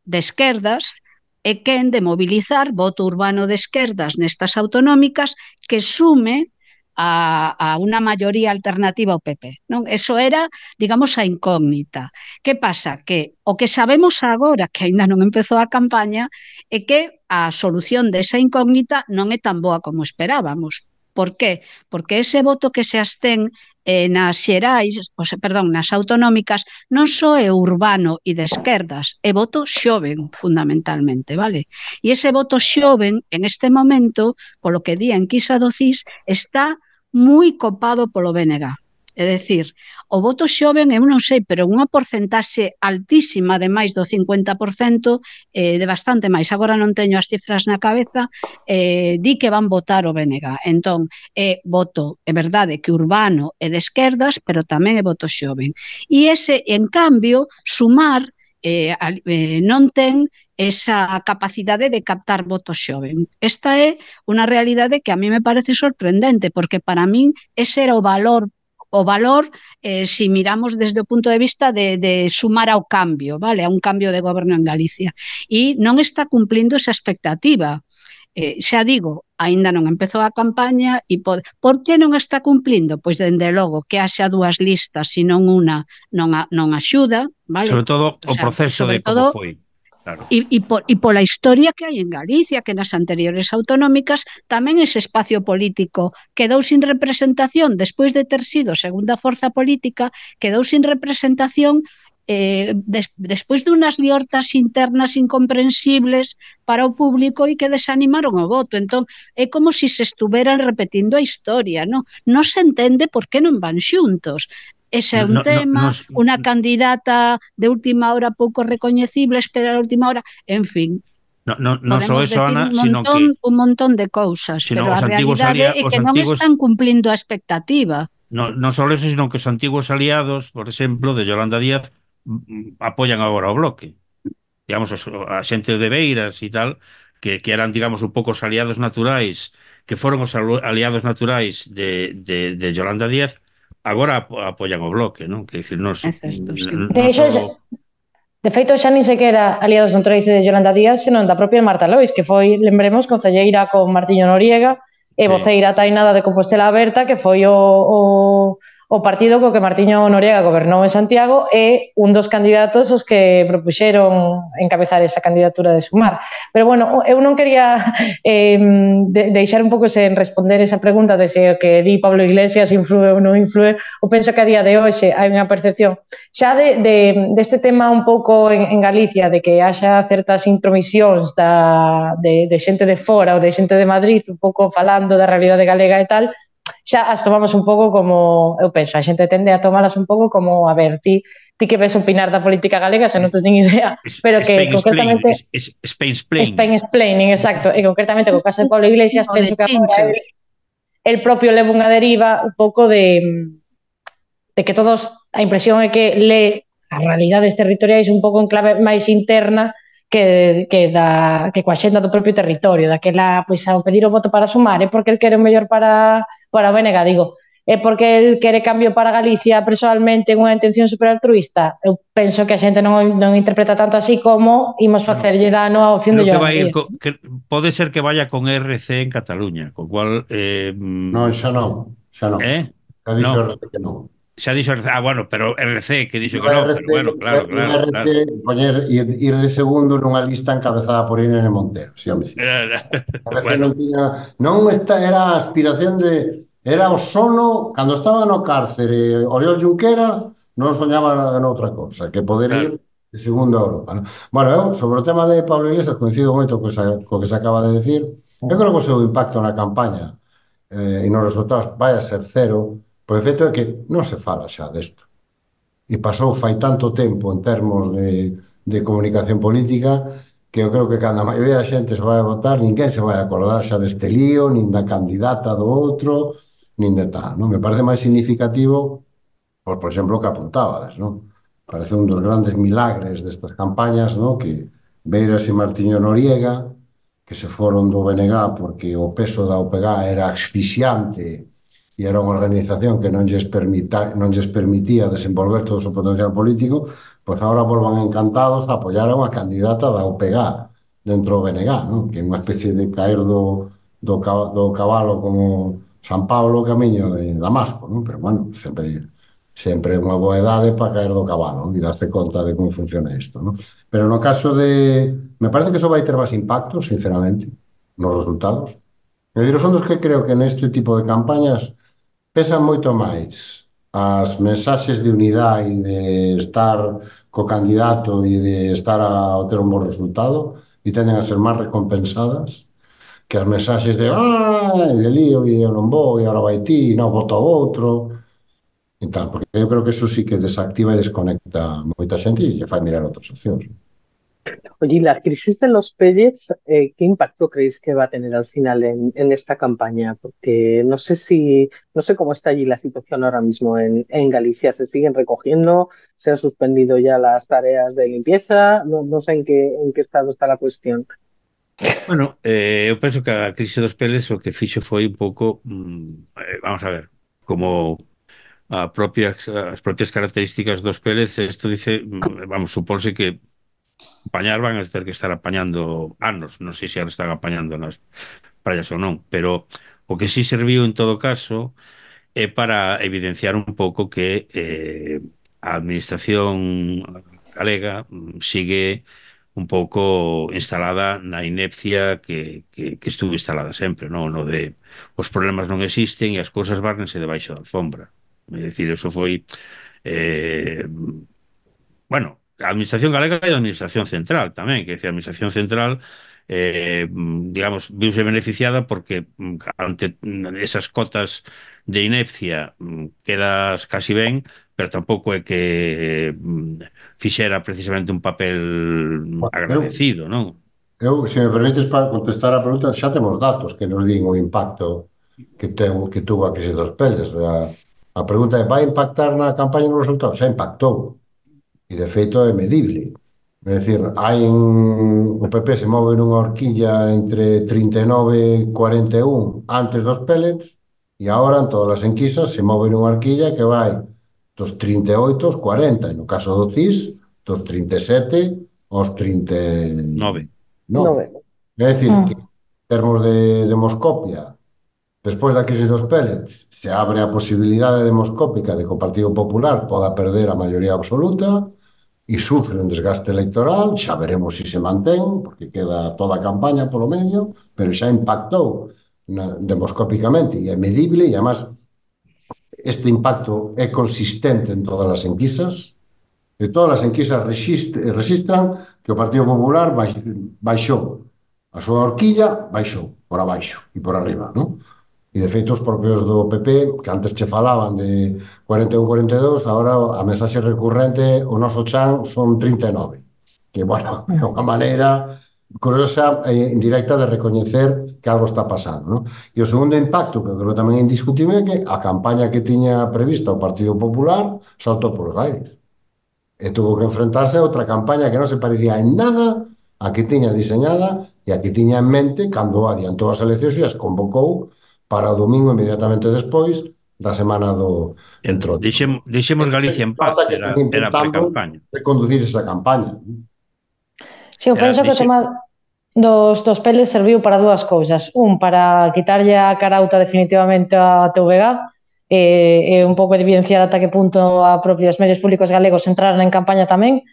de esquerdas é quen de mobilizar voto urbano de esquerdas nestas autonómicas que sume a, a unha maioría alternativa ao P P, non? Eso era, digamos, a incógnita. Que pasa? Que o que sabemos agora, que aínda non empezou a campaña, é que a solución desa incógnita non é tan boa como esperábamos. Por qué? Porque ese voto que se abstén eh, nas xerais, o sea, perdón, nas autonómicas, non só é urbano e de esquerdas, é voto xoven, fundamentalmente, vale? E ese voto xoven, en este momento, polo que di a enquisa do C I S, está moi copado polo B N G. É dicir, o voto xoven, eu non sei, pero unha porcentaxe altísima de máis do cincuenta por cento, eh, de bastante máis, agora non teño as cifras na cabeza, eh, di que van votar o B N G. Entón, é voto, é verdade que urbano e de esquerdas, pero tamén é voto xoven. E ese, en cambio, Sumar eh, eh, non ten esa capacidade de captar votos xoven. Esta é unha realidade que a mí me parece sorprendente, porque para min ese era o valor o valor, eh, si miramos desde o punto de vista de, de sumar ao cambio, vale, a un cambio de goberno en Galicia. E non está cumplindo esa expectativa. Eh, xa digo, aínda non empezou a campaña e por, por que non está cumplindo? Pois, dende logo, que haxa dúas listas e non unha non, a, non axuda, vale? Sobre todo o, o sea, proceso de como foi. Claro. E, e, por, e pola historia que hai en Galicia, que nas anteriores autonómicas tamén ese espacio político quedou sin representación despois de ter sido segunda forza política, quedou sin representación eh, des, despois dunhas liortas internas incomprensibles para o público e que desanimaron o voto. Entón, é como se se estuveran repetindo a historia, non? Non se entende por que non van xuntos. Ese é un no, tema, no, no, unha candidata de última hora pouco recoñecible, espera a última hora, en fin. No, no, no só eso, Ana, un montón, sino que un montón de cousas, pero a realidade é que non antiguos, están cumplindo a expectativa. No, non só eso, sino que os antigos aliados, por exemplo, de Yolanda Díaz, apoian agora o Bloque. Digamos, a xente de Beiras e tal, que, que eran, digamos, un pouco os aliados naturais, que foron os aliados naturais de, de, de Yolanda Díaz, agora apoian o Bloque, non? Que dicir, nos, Exacto, sí. De hecho, solo... de feito, xa nin sequera aliados naturais de Yolanda Díaz, senón da propia Marta Lois, que foi, lembremos, concelleira con Martiño Noriega e voceira sí. tainada de Compostela Aberta, que foi o, o, o partido co que Martiño Noriega gobernou en Santiago e un dos candidatos os que propuxeron encabezar esa candidatura de Sumar. Pero, bueno, eu non quería eh, de, deixar un pouco sen responder esa pregunta de se o que di Pablo Iglesias influe ou non influe. Eu penso que a día de hoxe hai unha percepción xa de, de, deste tema un pouco en, en Galicia, de que haxa certas intromisións da, de, de xente de fora ou de xente de Madrid, un pouco falando da realidade galega e tal, xa as tomamos un pouco como, eu penso, a xente tende a tomalas un pouco como, a ver, ti, ti que ves opinar da política galega se non tens nin idea, pero que Spain concretamente... Spain explaining. Spain explaining, exacto, e concretamente co caso de Pablo Iglesias, penso que agora el, el propio leva unha deriva un pouco de, de que todos, a impresión é que lee as realidades territoriais un pouco en clave máis interna que, que, da, que coa xenda do propio territorio, daquela, pois, ao pedir o voto para Sumar, é porque el quere o mellor para, para o B N G, digo, é porque el quere cambio para Galicia personalmente unha intención super altruista. Eu penso que a xente non, non interpreta tanto así como imos facerlle dano á opción de Yolanda Díaz. Que, pode ser que vaya con R C en Cataluña, co cual... Eh, non, xa non, xa non. Eh? Xa dixo no. R C que non. Xa dixo R C, ah, bueno, pero R C que dixo que non, pero bueno, claro, claro. R C, claro. Poñer, ir, ir de segundo nunha lista encabezada por Irene Montero, si, home, si. R C bueno. non tiña... Non esta era a aspiración de... Era o sono, cando estaba no cárcere Oriol Junqueras, non soñaba noutra cousa, que poder ir Claro. de segundo a Europa, non? Bueno, eu, sobre o tema de Pablo Iglesias, coincido moito co que se, co que se acaba de decir. Eu creo que o seu impacto na campaña eh, e nos resultados vai a ser cero, por efecto é que non se fala xa desto. E pasou fai tanto tempo en termos de, de comunicación política que eu creo que cando a maioría da xente se vai a votar, ninguén se vai a acordar xa deste lío, nin da candidata do outro, nin de tal, non? Me parece máis significativo, por, por exemplo, o que apuntabas, non? Parece un dos grandes milagres destas campañas, non? Que Beiras e Martiño Noriega, que se foron do B N G porque o peso da O P G era asfixiante e era unha organización que non lles, permita, non lles permitía desenvolver todo o seu potencial político, pois agora volvan encantados a apoiar a unha candidata da O P G dentro do B N G, non? Que é unha especie de caer do, do, do cabalo como San Pablo camiño de Damasco, non? Pero, bueno, sempre sempre é unha boa edade para caer do cabalo, non? E darse conta de como funciona isto, non? Pero no caso de... Me parece que eso vai ter máis impacto, sinceramente, nos resultados. É dicir, son dos que creo que neste tipo de campañas pesan moito máis as mensaxes de unidade e de estar co candidato e de estar a ter un bo resultado e tenden a ser máis recompensadas que as mensaxes de ah, de lío e eu non vou e agora vai ti e non voto ao outro e tal, porque eu creo que eso sí que desactiva e desconecta moita xente e lle fai mirar outras opcións. Oye, ¿y la crisis de los pellets, eh, qué impacto creéis que va a tener al final en, en esta campaña? Porque no sé si, no sé cómo está allí la situación ahora mismo en, en Galicia. ¿Se siguen recogiendo? ¿Se han suspendido ya las tareas de limpieza? No, no sé en qué, en qué estado está la cuestión. Bueno, eh, eu penso que a crise dos peles o que fixo foi un pouco, mm, eh, vamos a ver, como a propias, as propias características dos peles, isto dice, mm, vamos, supónse que apañar van a ter que estar apañando anos, non sei se ahora están apañando nas praias ou non, pero o que sí serviu en todo caso é para evidenciar un pouco que eh, a administración galega mm, sigue un pouco instalada na inepcia que, que, que estuvo instalada sempre, non? No de os problemas non existen e as cousas várnense debaixo da alfombra. É dicir, eso foi eh, bueno, a administración galega e a administración central tamén, que é a administración central eh, digamos, viuse beneficiada porque ante esas cotas de inepcia quedas casi ben, pero tampouco é que fixera precisamente un papel agradecido, non? Eu, se me permites para contestar a pregunta, xa temos datos que nos din o impacto que, ten, que tuvo a crise dos peles. A, a pregunta é, vai impactar na campaña nos resultados? Xa impactou. E, de feito, é medible. É dicir, hai un, o P P se move nunha horquilla entre trinta e nove e cuarenta e un antes dos pellets e agora, en todas as enquisas, se move nunha horquilla que vai dos trinta e oito aos cuarenta, e no caso do C I S, dos trinta e sete aos trinta e nove. No. É dicir, que en termos de demoscopia, despois da crise dos pellets, se abre a posibilidade demoscópica de que o Partido Popular poda perder a maioría absoluta e sufre un desgaste electoral, xa veremos se se mantén, porque queda toda a campaña polo medio, pero xa impactou na, demoscópicamente e é medible, e además este impacto é consistente en todas as enquisas, e todas as enquisas registran que o Partido Popular baixou a súa horquilla, baixou por abaixo e por arriba, non? E, de feito, os propios do P P, que antes che falaban de cuarenta e un a cuarenta e dous, agora a mensaxe recurrente, o noso chan son trinta e nove. Que, bueno, é unha maneira curiosa e indirecta de recoñecer que algo está pasando, non? E o segundo impacto, que creo tamén é indiscutible, é que a campaña que tiña prevista o Partido Popular saltou polos aires. E tuvo que enfrentarse a outra campaña que non se parecía en nada a que tiña diseñada e a que tiña en mente cando adiantou as eleccións e as convocou para o domingo inmediatamente despois da semana do entroido. Deixemos, deixemos Galicia en paz, era, era pre-campaña. Reconducir esa campaña. Sí, eu penso que o tema dos, dos peles serviu para dúas cousas. Un, para quitarlle a carauta definitivamente a T V G e, e un pouco de evidenciar ata que punto a propios medios públicos galegos entraran en campaña tamén.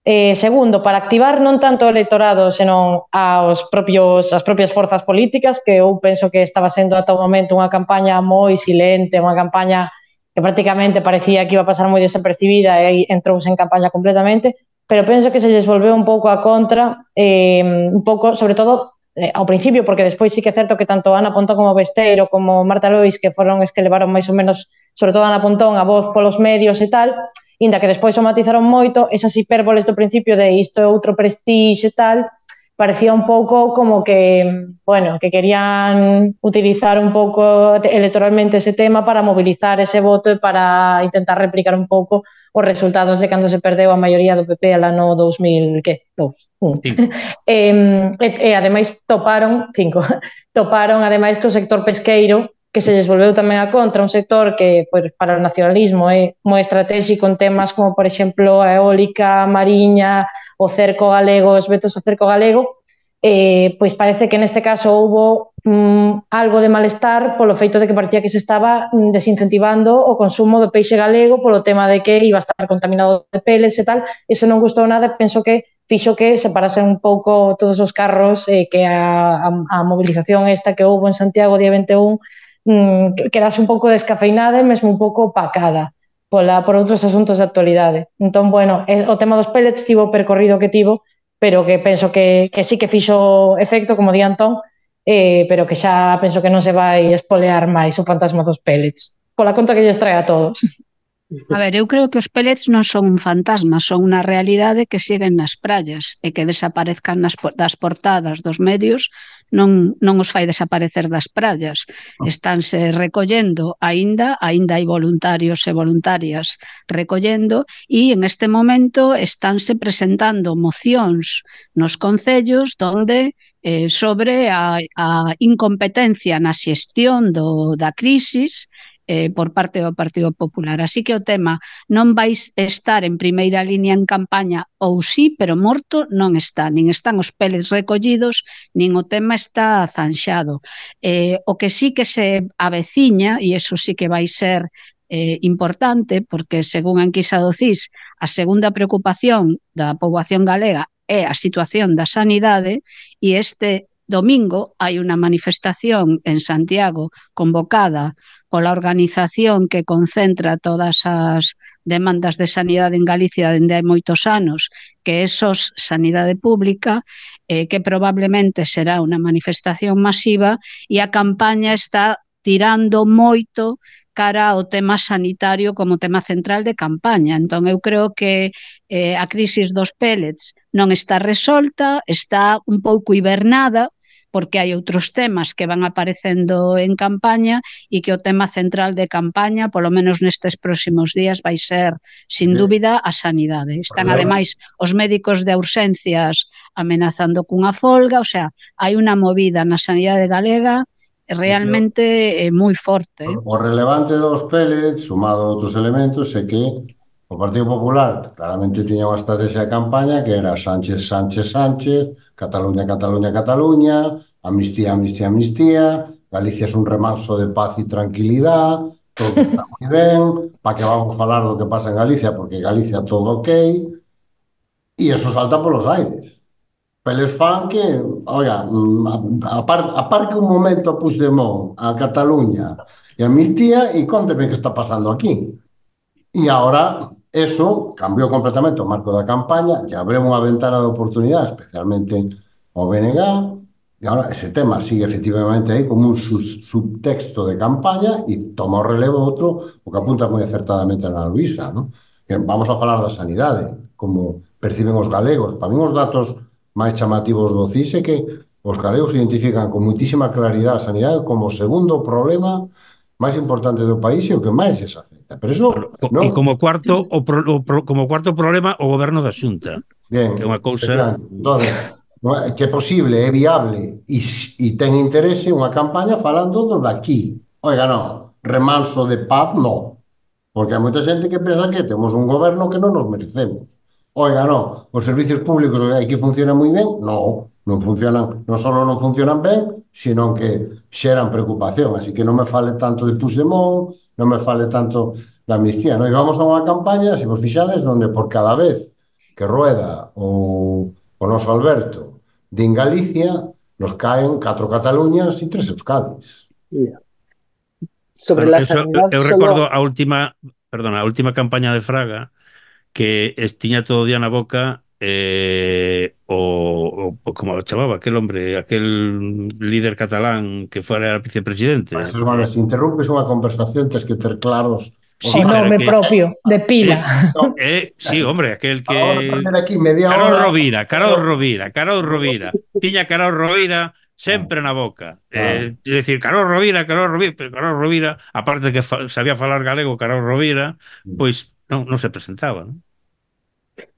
Eh, segundo, para activar non tanto o electorado, senón aos propios, as propias forzas políticas, que eu penso que estaba sendo ata o momento unha campaña moi silente, unha campaña que prácticamente parecía que iba a pasar moi desapercibida e aí entrouse en campaña completamente, pero penso que se lles volveu un pouco a contra, eh, un pouco, sobre todo, eh, ao principio, porque despois sí que é certo que tanto Ana Pontón como Besteiro, como Marta Lois, que foron os que levaron máis ou menos, sobre todo Ana Pontón, a voz polos medios e tal, inda que despois o matizaron moito, esas hipérboles do principio de isto é outro prestixe e tal, parecía un pouco como que, bueno, que querían utilizar un pouco electoralmente ese tema para movilizar ese voto e para intentar replicar un pouco os resultados de cando se perdeu a maioría do P P al ano dos mil, que? Dos, un. e, e, e ademais toparon, cinco, toparon ademais que o sector pesqueiro, que se lles volveu tamén a contra, un sector que pois, para o nacionalismo é moi estratégico en temas como, por exemplo, a eólica, a mariña, o cerco galego, os vetos ao cerco galego, eh, pois parece que neste caso houbo mm, algo de malestar polo feito de que parecía que se estaba desincentivando o consumo do peixe galego polo tema de que iba a estar contaminado de pellets e tal. Iso non gustou nada, penso que fixo que separasen un pouco todos os carros, eh, que a, a, a movilización esta que houbo en Santiago día vinte e un mm, quedase un pouco descafeinada e mesmo un pouco opacada pola, por outros asuntos de actualidade. Entón, bueno, o tema dos pellets tivo o percorrido que tivo, pero que penso que, que sí que fixo efecto, como di Antón, eh, pero que xa penso que non se vai espolear máis o fantasma dos pellets, pola conta que lles trae a todos. A ver, eu creo que os pellets non son un fantasma, son unha realidade que siguen nas praias e que desaparezcan nas, das portadas dos medios non, non os fai desaparecer das praias. Estánse recollendo aínda, aínda hai voluntarios e voluntarias recollendo e en este momento estánse presentando mocións nos concellos donde eh, sobre a, a incompetencia na xestión do, da crisis Eh, por parte do Partido Popular. Así que o tema non vais estar en primeira línea en campaña ou sí, pero morto non está. Nin están os pellets recollidos, nin o tema está zanxado. Eh, o que sí que se aveciña, e iso sí que vai ser eh, importante, porque según a enquisa do C I S, a segunda preocupación da poboación galega é a situación da sanidade e este domingo hai unha manifestación en Santiago convocada pola organización que concentra todas as demandas de sanidade en Galicia dende hai moitos anos, que é S O S Sanidade Pública, eh, que probablemente será unha manifestación masiva e a campaña está tirando moito cara ao tema sanitario como tema central de campaña. Entón, eu creo que eh, a crisis dos pellets non está resolta, está un pouco hibernada, porque hai outros temas que van aparecendo en campaña e que o tema central de campaña, polo menos nestes próximos días, vai ser, sin dúbida, a sanidade. Están, ademais, os médicos de urxencias amenazando cunha folga, o sea, hai unha movida na sanidade galega realmente é moi forte. O relevante dos pellets, sumado a outros elementos, é que o Partido Popular claramente tiña unha estrategia de campaña que era Sánchez, Sánchez, Sánchez, Cataluña, Cataluña, Cataluña, amnistía, amnistía, amnistía, Galicia é un remanso de paz e tranquilidade, todo está moi ben, para que vamos falar do que pasa en Galicia, porque Galicia todo ok, e eso salta polos aires. Peles fan que, oiga, a par, a par que un momento a Puigdemont, a Cataluña e a amnistía, e conteme que está pasando aquí. E agora, eso cambiou completamente o marco da campaña, e abriu unha ventana de oportunidade, especialmente ao B N G, e agora ese tema sigue efectivamente aí como un sub subtexto de campaña e toma o relevo outro, o que apunta moi acertadamente na Luisa, ¿no? Que vamos a falar da sanidade, como perciben os galegos. Para mí os datos máis chamativos do C I S é que os galegos identifican con muitísima claridade a sanidade como o segundo problema máis importante do país e o que máis se afecta. Pero eso, bueno, e como cuarto o pro, o pro, como cuarto problema o goberno da Xunta. Bien, que é unha cousa. Entonces, que é posible, é viable e, e ten interese unha campaña falando do daqui. Oiga, non, remanso de paz, non. Porque hai moita xente que pensa que temos un goberno que non nos merecemos. Oiga, non, os servicios públicos aquí funcionan moi ben, non, non funcionan, non só non funcionan ben, sino que xeran preocupación, así que non me fale tanto de Puigdemont, non me fale tanto da amnistía, non? E vamos a unha campaña, se vos fixades, onde por cada vez que rueda o, o noso Alberto din Galicia, nos caen catro Cataluñas e tres Euskadis. Sobre Bueno, la eso, sanidad, eu solo. recordo a última, perdona, a última campaña de Fraga que es, tiña todo o día na boca eh, o, o, o como o chamaba aquel hombre, aquel líder catalán que fora Pois, vicepresidente. bueno, Eh, se interrumpes unha conversación, tens que ter claros os O sí, pero nome que propio de pila. eh, no, eh, sí, hombre, aquel vamos a que perder aquí media Carol hora. Rovira, Carol Pero... Rovira, Carol Rovira. Tiña Carol Rovira Ah, sempre na boca. ah. Eh, é dicir, Carol Rovira, Carol Rovira, pero Carol Rovira, aparte de que fa, sabía falar galego, Carol Rovira, pois non, non se presentaba, non?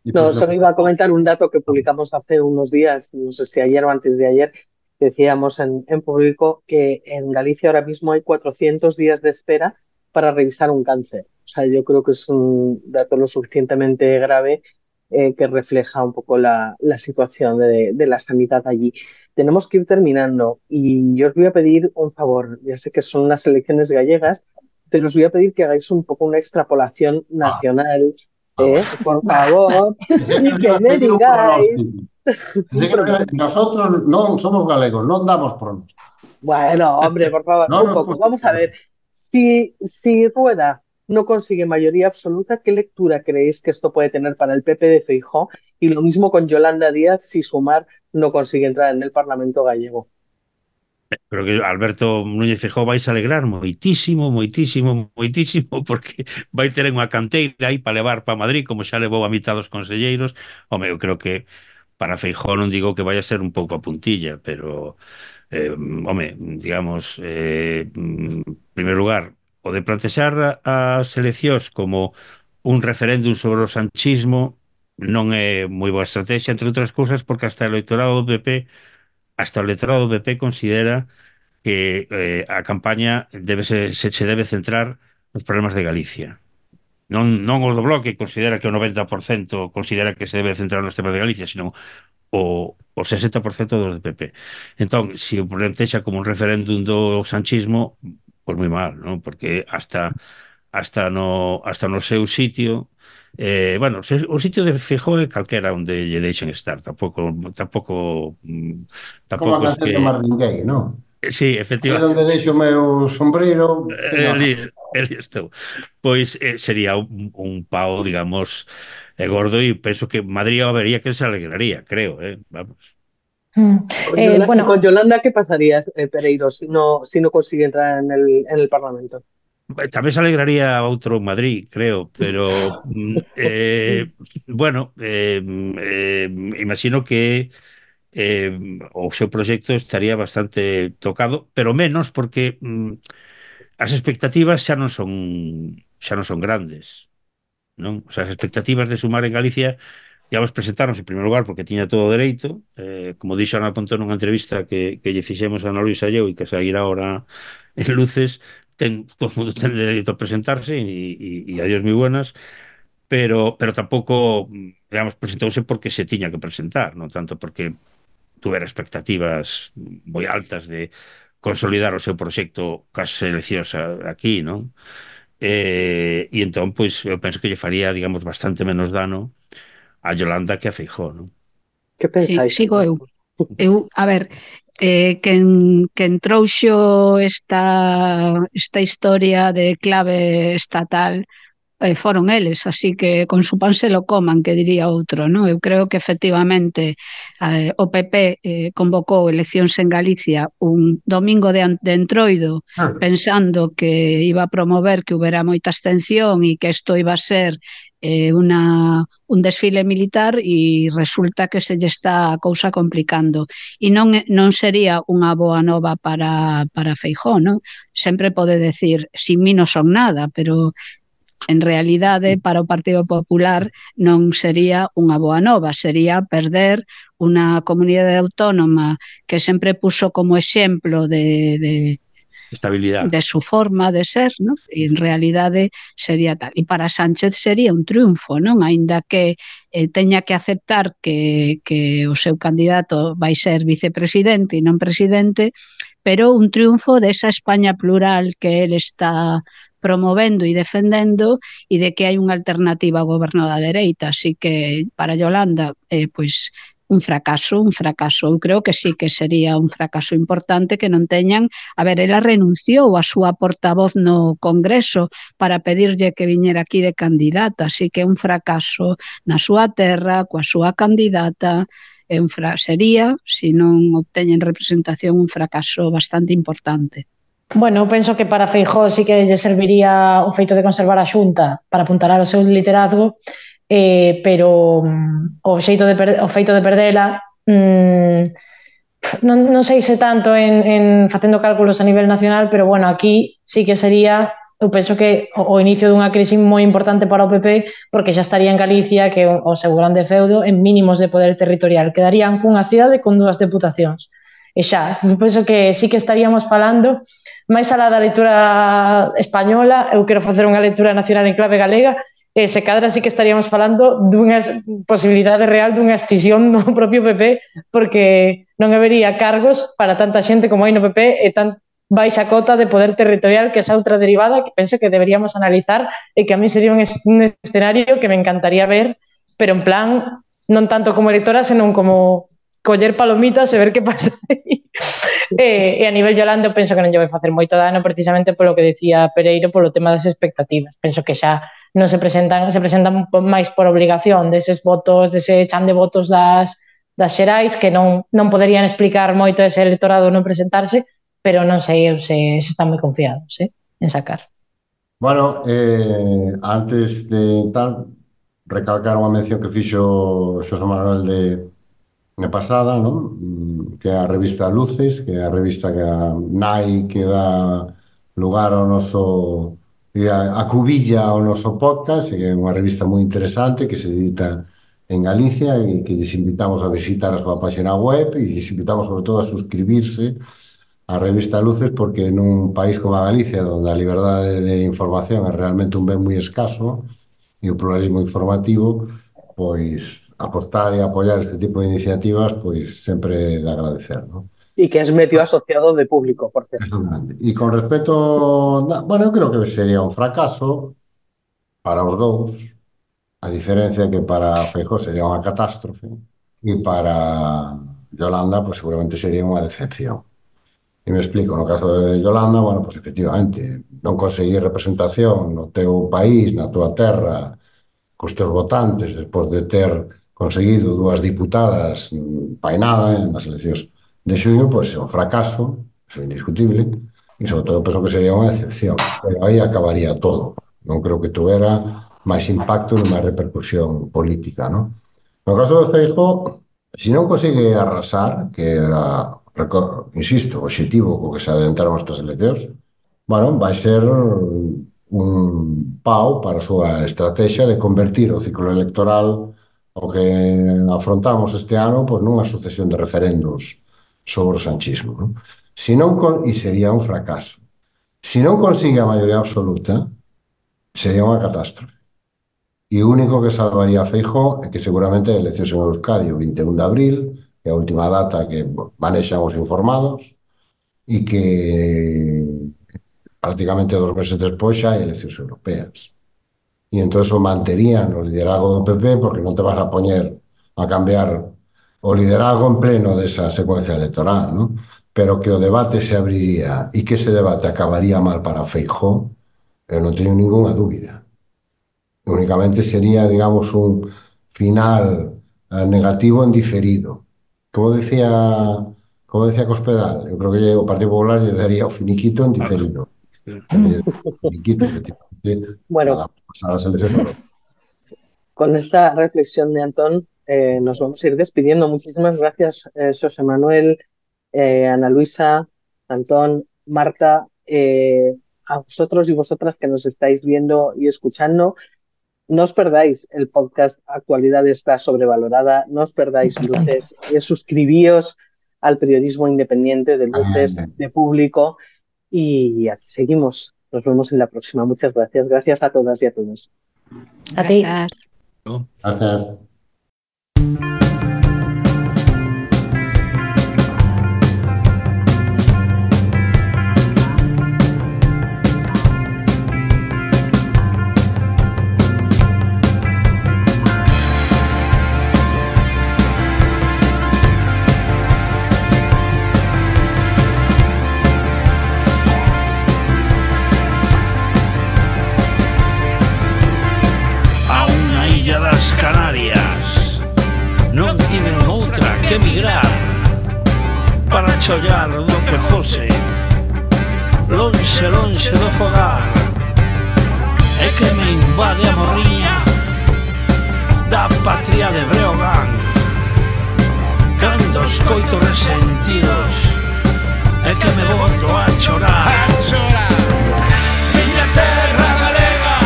Y No, pues lo solo que... iba a comentar un dato que publicamos hace unos días, no sé si ayer o antes de ayer, decíamos en, en público que en Galicia ahora mismo hay cuatrocientos días de espera para revisar un cáncer. O sea, yo creo que es un dato lo suficientemente grave eh, que refleja un poco la, la situación de, de la sanidad allí. Tenemos que ir terminando y yo os voy a pedir un favor. Ya sé que son las elecciones gallegas, pero os voy a pedir que hagáis un poco una extrapolación Ah, nacional, ah, eh, bueno. por favor, Pensé que y nos iba que a me pedir un digáis pronóstico. Pensé un que nos iba- pronóstico. Nosotros no somos galegos, no damos pronóstico. Bueno, hombre, por favor, No un nos poco. Vamos a posicionamos. ver. Si, si Rueda no consigue mayoría absoluta, ¿qué lectura creéis que esto puede tener para el P P de Feijóo? Y lo mismo con Yolanda Díaz si Sumar no consigue entrar en el Parlamento gallego. Creo que Alberto Núñez Feijóo vais a alegrar moitísimo, moitísimo, moitísimo, porque vai ter unha canteira aí para levar para Madrid, como xa levou a mitad dos conselleiros. Home, eu creo que para Feijóo non digo que vai a ser un pouco a puntilla, pero eh, home, digamos, eh, en primeiro lugar, o de plantexar as eleccións como un referéndum sobre o sanchismo non é moi boa estrategia, entre outras cousas, porque hasta o electorado do P P hasta o electorado do P P considera que eh, a campaña debe se, se, se debe centrar nos problemas de Galicia. Non, non o do Bloque considera que o noventa por cento considera que se debe centrar nos temas de Galicia, sino o, o sesenta por cento dos do P P. Entón, se o plantexa como un referéndum do sanchismo, pois moi mal, non? Porque hasta hasta no hasta no seu sitio eh, bueno, se, o sitio de Feijóo é calquera onde lle deixen estar, tampouco tampouco mm, Como a tampouco es canción de que Marvin Gaye, ¿no? sí, Aí onde efectivamente. deixo o meu sombreiro, teño a... Eli, eli estou. Pois eh, sería un, un pao, digamos, eh, gordo e penso que Madrid o vería que se alegraría, creo, eh? Vamos. Mm. Con Eh, Yola- ¿Y con bueno, Yolanda qué pasaría, eh, Pereiro, si no, si no consigue entrar en el, en el Parlamento? Tamén se alegraría outro en Madrid, creo, pero mm, eh, bueno, eh, eh, imagino que eh, o seu proxecto estaría bastante tocado, pero menos porque mm, as expectativas xa non son xa non son grandes, non? O sea, as expectativas de Sumar en Galicia digamos, presentarnos en primeiro lugar porque tiña todo o dereito, eh, como dixo Ana Pontón nunha entrevista que, que lle fixemos a Ana Luisa e eu e que sairá ahora en Luces, ten, todo o mundo ten dereito a presentarse e, e, e adiós moi buenas, pero, pero tampouco, digamos, presentouse porque se tiña que presentar, non tanto porque tuvera expectativas moi altas de consolidar o seu proxecto cas eleccións aquí, non? Eh, e entón, pois, eu penso que lle faría, digamos, bastante menos dano a Yolanda que a Feijóo, non? ¿Qué Sí, pensáis? sigo eu. Eu, a ver, eh, quen, quen trouxo esta, esta historia de clave estatal eh, foron eles, así que con su pan se lo coman, que diría outro, non? Eu creo que efectivamente eh, o P P eh, convocou eleccións en Galicia un domingo de, an- de entroido pensando que iba a promover que houbera moita abstención e que isto iba a ser eh, una, un desfile militar e resulta que se lle está a cousa complicando e non, é- non sería unha boa nova para, para Feijóo, non? Sempre pode decir, sin mí non son nada, pero en realidade para o Partido Popular non sería unha boa nova, sería perder unha comunidade autónoma que sempre puso como exemplo de, de, Estabilidade. de su forma de ser, ¿no? E en realidade sería tal. E para Sánchez sería un triunfo, non? Aínda que eh, teña que aceptar que, que o seu candidato vai ser vicepresidente e non presidente, pero un triunfo desa España plural que él está promovendo e defendendo e de que hai unha alternativa ao goberno da dereita. Así que para Yolanda, eh, pois un fracaso, un fracaso. Eu creo que sí que sería un fracaso importante que non teñan. A ver, ela renunciou a súa portavoz no Congreso para pedirlle que viñera aquí de candidata, así que un fracaso na súa terra, coa súa candidata, é un fra sería, se non obteñen representación, un fracaso bastante importante. Bueno, eu penso que para Feijóo sí que lle serviría o feito de conservar a Xunta para apuntalar o seu liderazgo, eh, pero um, o, xeito de o feito de perdela um, non, non sei se tanto en, en facendo cálculos a nivel nacional, pero bueno, aquí sí que sería, eu penso que o, o inicio dunha crise moi importante para o P P, porque xa estaría en Galicia, que o, o seu grande feudo, en mínimos de poder territorial. Quedarían cunha cidade con dúas deputacións. E xa, eu penso que sí que estaríamos falando, máis alá da lectura española, eu quero facer unha lectura nacional en clave galega, e se cadra sí que estaríamos falando dunha posibilidade real dunha escisión do propio P P, porque non habería cargos para tanta xente como hai no P P e tan baixa cota de poder territorial, que esa outra derivada que penso que deberíamos analizar e que a mí sería un escenario que me encantaría ver, pero en plan, non tanto como electora, senón como coller palomitas e ver que pasa aí. E, e a nivel Yolanda eu penso que non lle vai facer moito dano precisamente polo que decía Pereiro, polo tema das expectativas. Penso que xa non se presentan, se presentan máis por obligación deses votos, dese chan de votos das, das xerais, que non, non poderían explicar moito ese electorado non presentarse, pero non sei eu se, se están moi confiados, eh, en sacar. Bueno, eh, antes de tal, recalcar unha mención que fixo Xosé Manuel de na pasada, non? Que é a revista Luces, que é a revista que a nai que dá lugar ao noso a, a cubilla ao noso podcast, que é unha revista moi interesante que se edita en Galicia e que lles invitamos a visitar a súa página web e lles invitamos sobre todo a suscribirse á revista Luces, porque nun país como a Galicia, onde a liberdade de información é realmente un ben moi escaso e o pluralismo informativo, pois apostar e apoiar este tipo de iniciativas, pois sempre de agradecer, ¿no? Y que es medio asociado de público, por cierto. E con respecto, bueno, eu creo que sería un fracaso para os dous, a diferencia que para Feijóo sería unha catástrofe e para Yolanda, pues seguramente sería unha decepción. E me explico, no caso de Yolanda, bueno, pues efectivamente, non conseguir representación no teu país, na tua terra, cos teus votantes, despois de ter conseguido dúas diputadas painada nas eleccións de xuño, pois é un fracaso, é indiscutible, e sobre todo penso que sería unha excepción, pero aí acabaría todo. Non creo que tuvera máis impacto e máis repercusión política, non? No caso de Feijóo, se non consigue arrasar, que era, insisto, o objetivo co que se adentraron estas eleccións, bueno, vai ser un pau para a súa estrategia de convertir o ciclo electoral o que afrontamos este ano, pois nunha sucesión de referendos sobre o sanchismo, non? Se non con... E sería un fracaso. Se non consigue a maioría absoluta, sería unha catástrofe. E o único que salvaría a Feijóo é que seguramente a eleccións en Euskadi o vinte e un de abril, que é a última data que manexan os informados, e que prácticamente dos meses despois xa hai eleccións europeas. E entón o manterían o liderazgo do P P, porque non te vas a poñer a cambiar o liderazgo en pleno desa secuencia electoral, ¿no? Pero que o debate se abriría e que ese debate acabaría mal para Feijóo, eu non teño ninguna dúbida. Únicamente sería, digamos, un final eh, negativo en diferido. Como decía como decía Cospedal, eu creo que o Partido Popular lle daría o finiquito en diferido. Finiquito, efectivamente. Bueno, pasar las elecciones. Con esta reflexión de Antón, eh, nos vamos a ir despidiendo. Muchísimas gracias, eh, José Manuel, eh, Ana Luisa, Antón, Marta, eh, a vosotros y vosotras que nos estáis viendo y escuchando. No os perdáis el podcast Actualidad está sobrevalorada, no os perdáis Luces, eh, suscribíos al periodismo independiente de Luces, de Público, y aquí seguimos. Nos vemos en la próxima. Muchas gracias. Gracias a todas y a todos. A ti. Gracias. tiven outra que emigrar para chollar do que fose, lonxe, lonxe do fogar. É que me invade a morriña da patria de Breogán, cando escoito resentidos, é que me boto a chorar. Miña terra galega,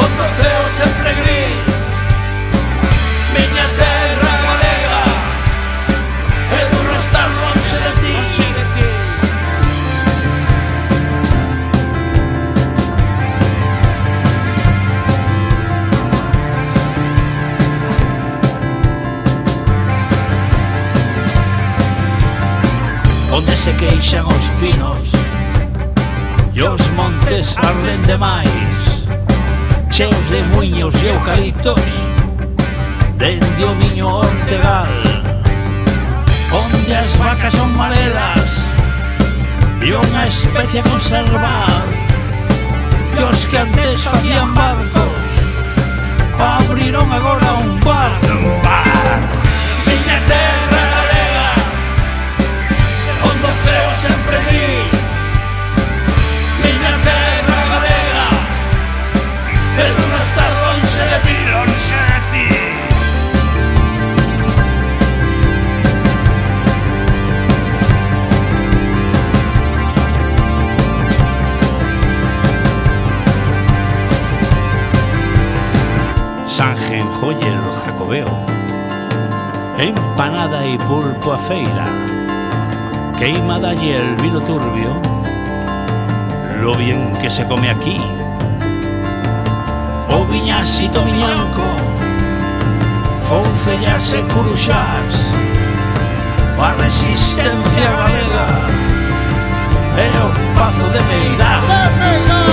onde o ceo sempre gris, miña terra galega, é duro estar lonxe de ti. Onde se queixan os pinos e os montes arden demais, cheos de muiños e eucaliptos dende o miño Ortegal, onde as vacas son marelas e unha especie a conservar, e os que antes facían barcos abriron agora un bar. Un bar. Miña terra galega, onde o ceo sempre gris, miña terra galega, é duro estar lonxe de ti, lonxe de ti. Sanjenjoyer Jacobeo, empanada y pulpo a feira, queimada y el vino turbio, lo bien que se come aquí. O viñasito miñanco, foncellas e curuxás, a resistencia galega e o pazo de Meirás.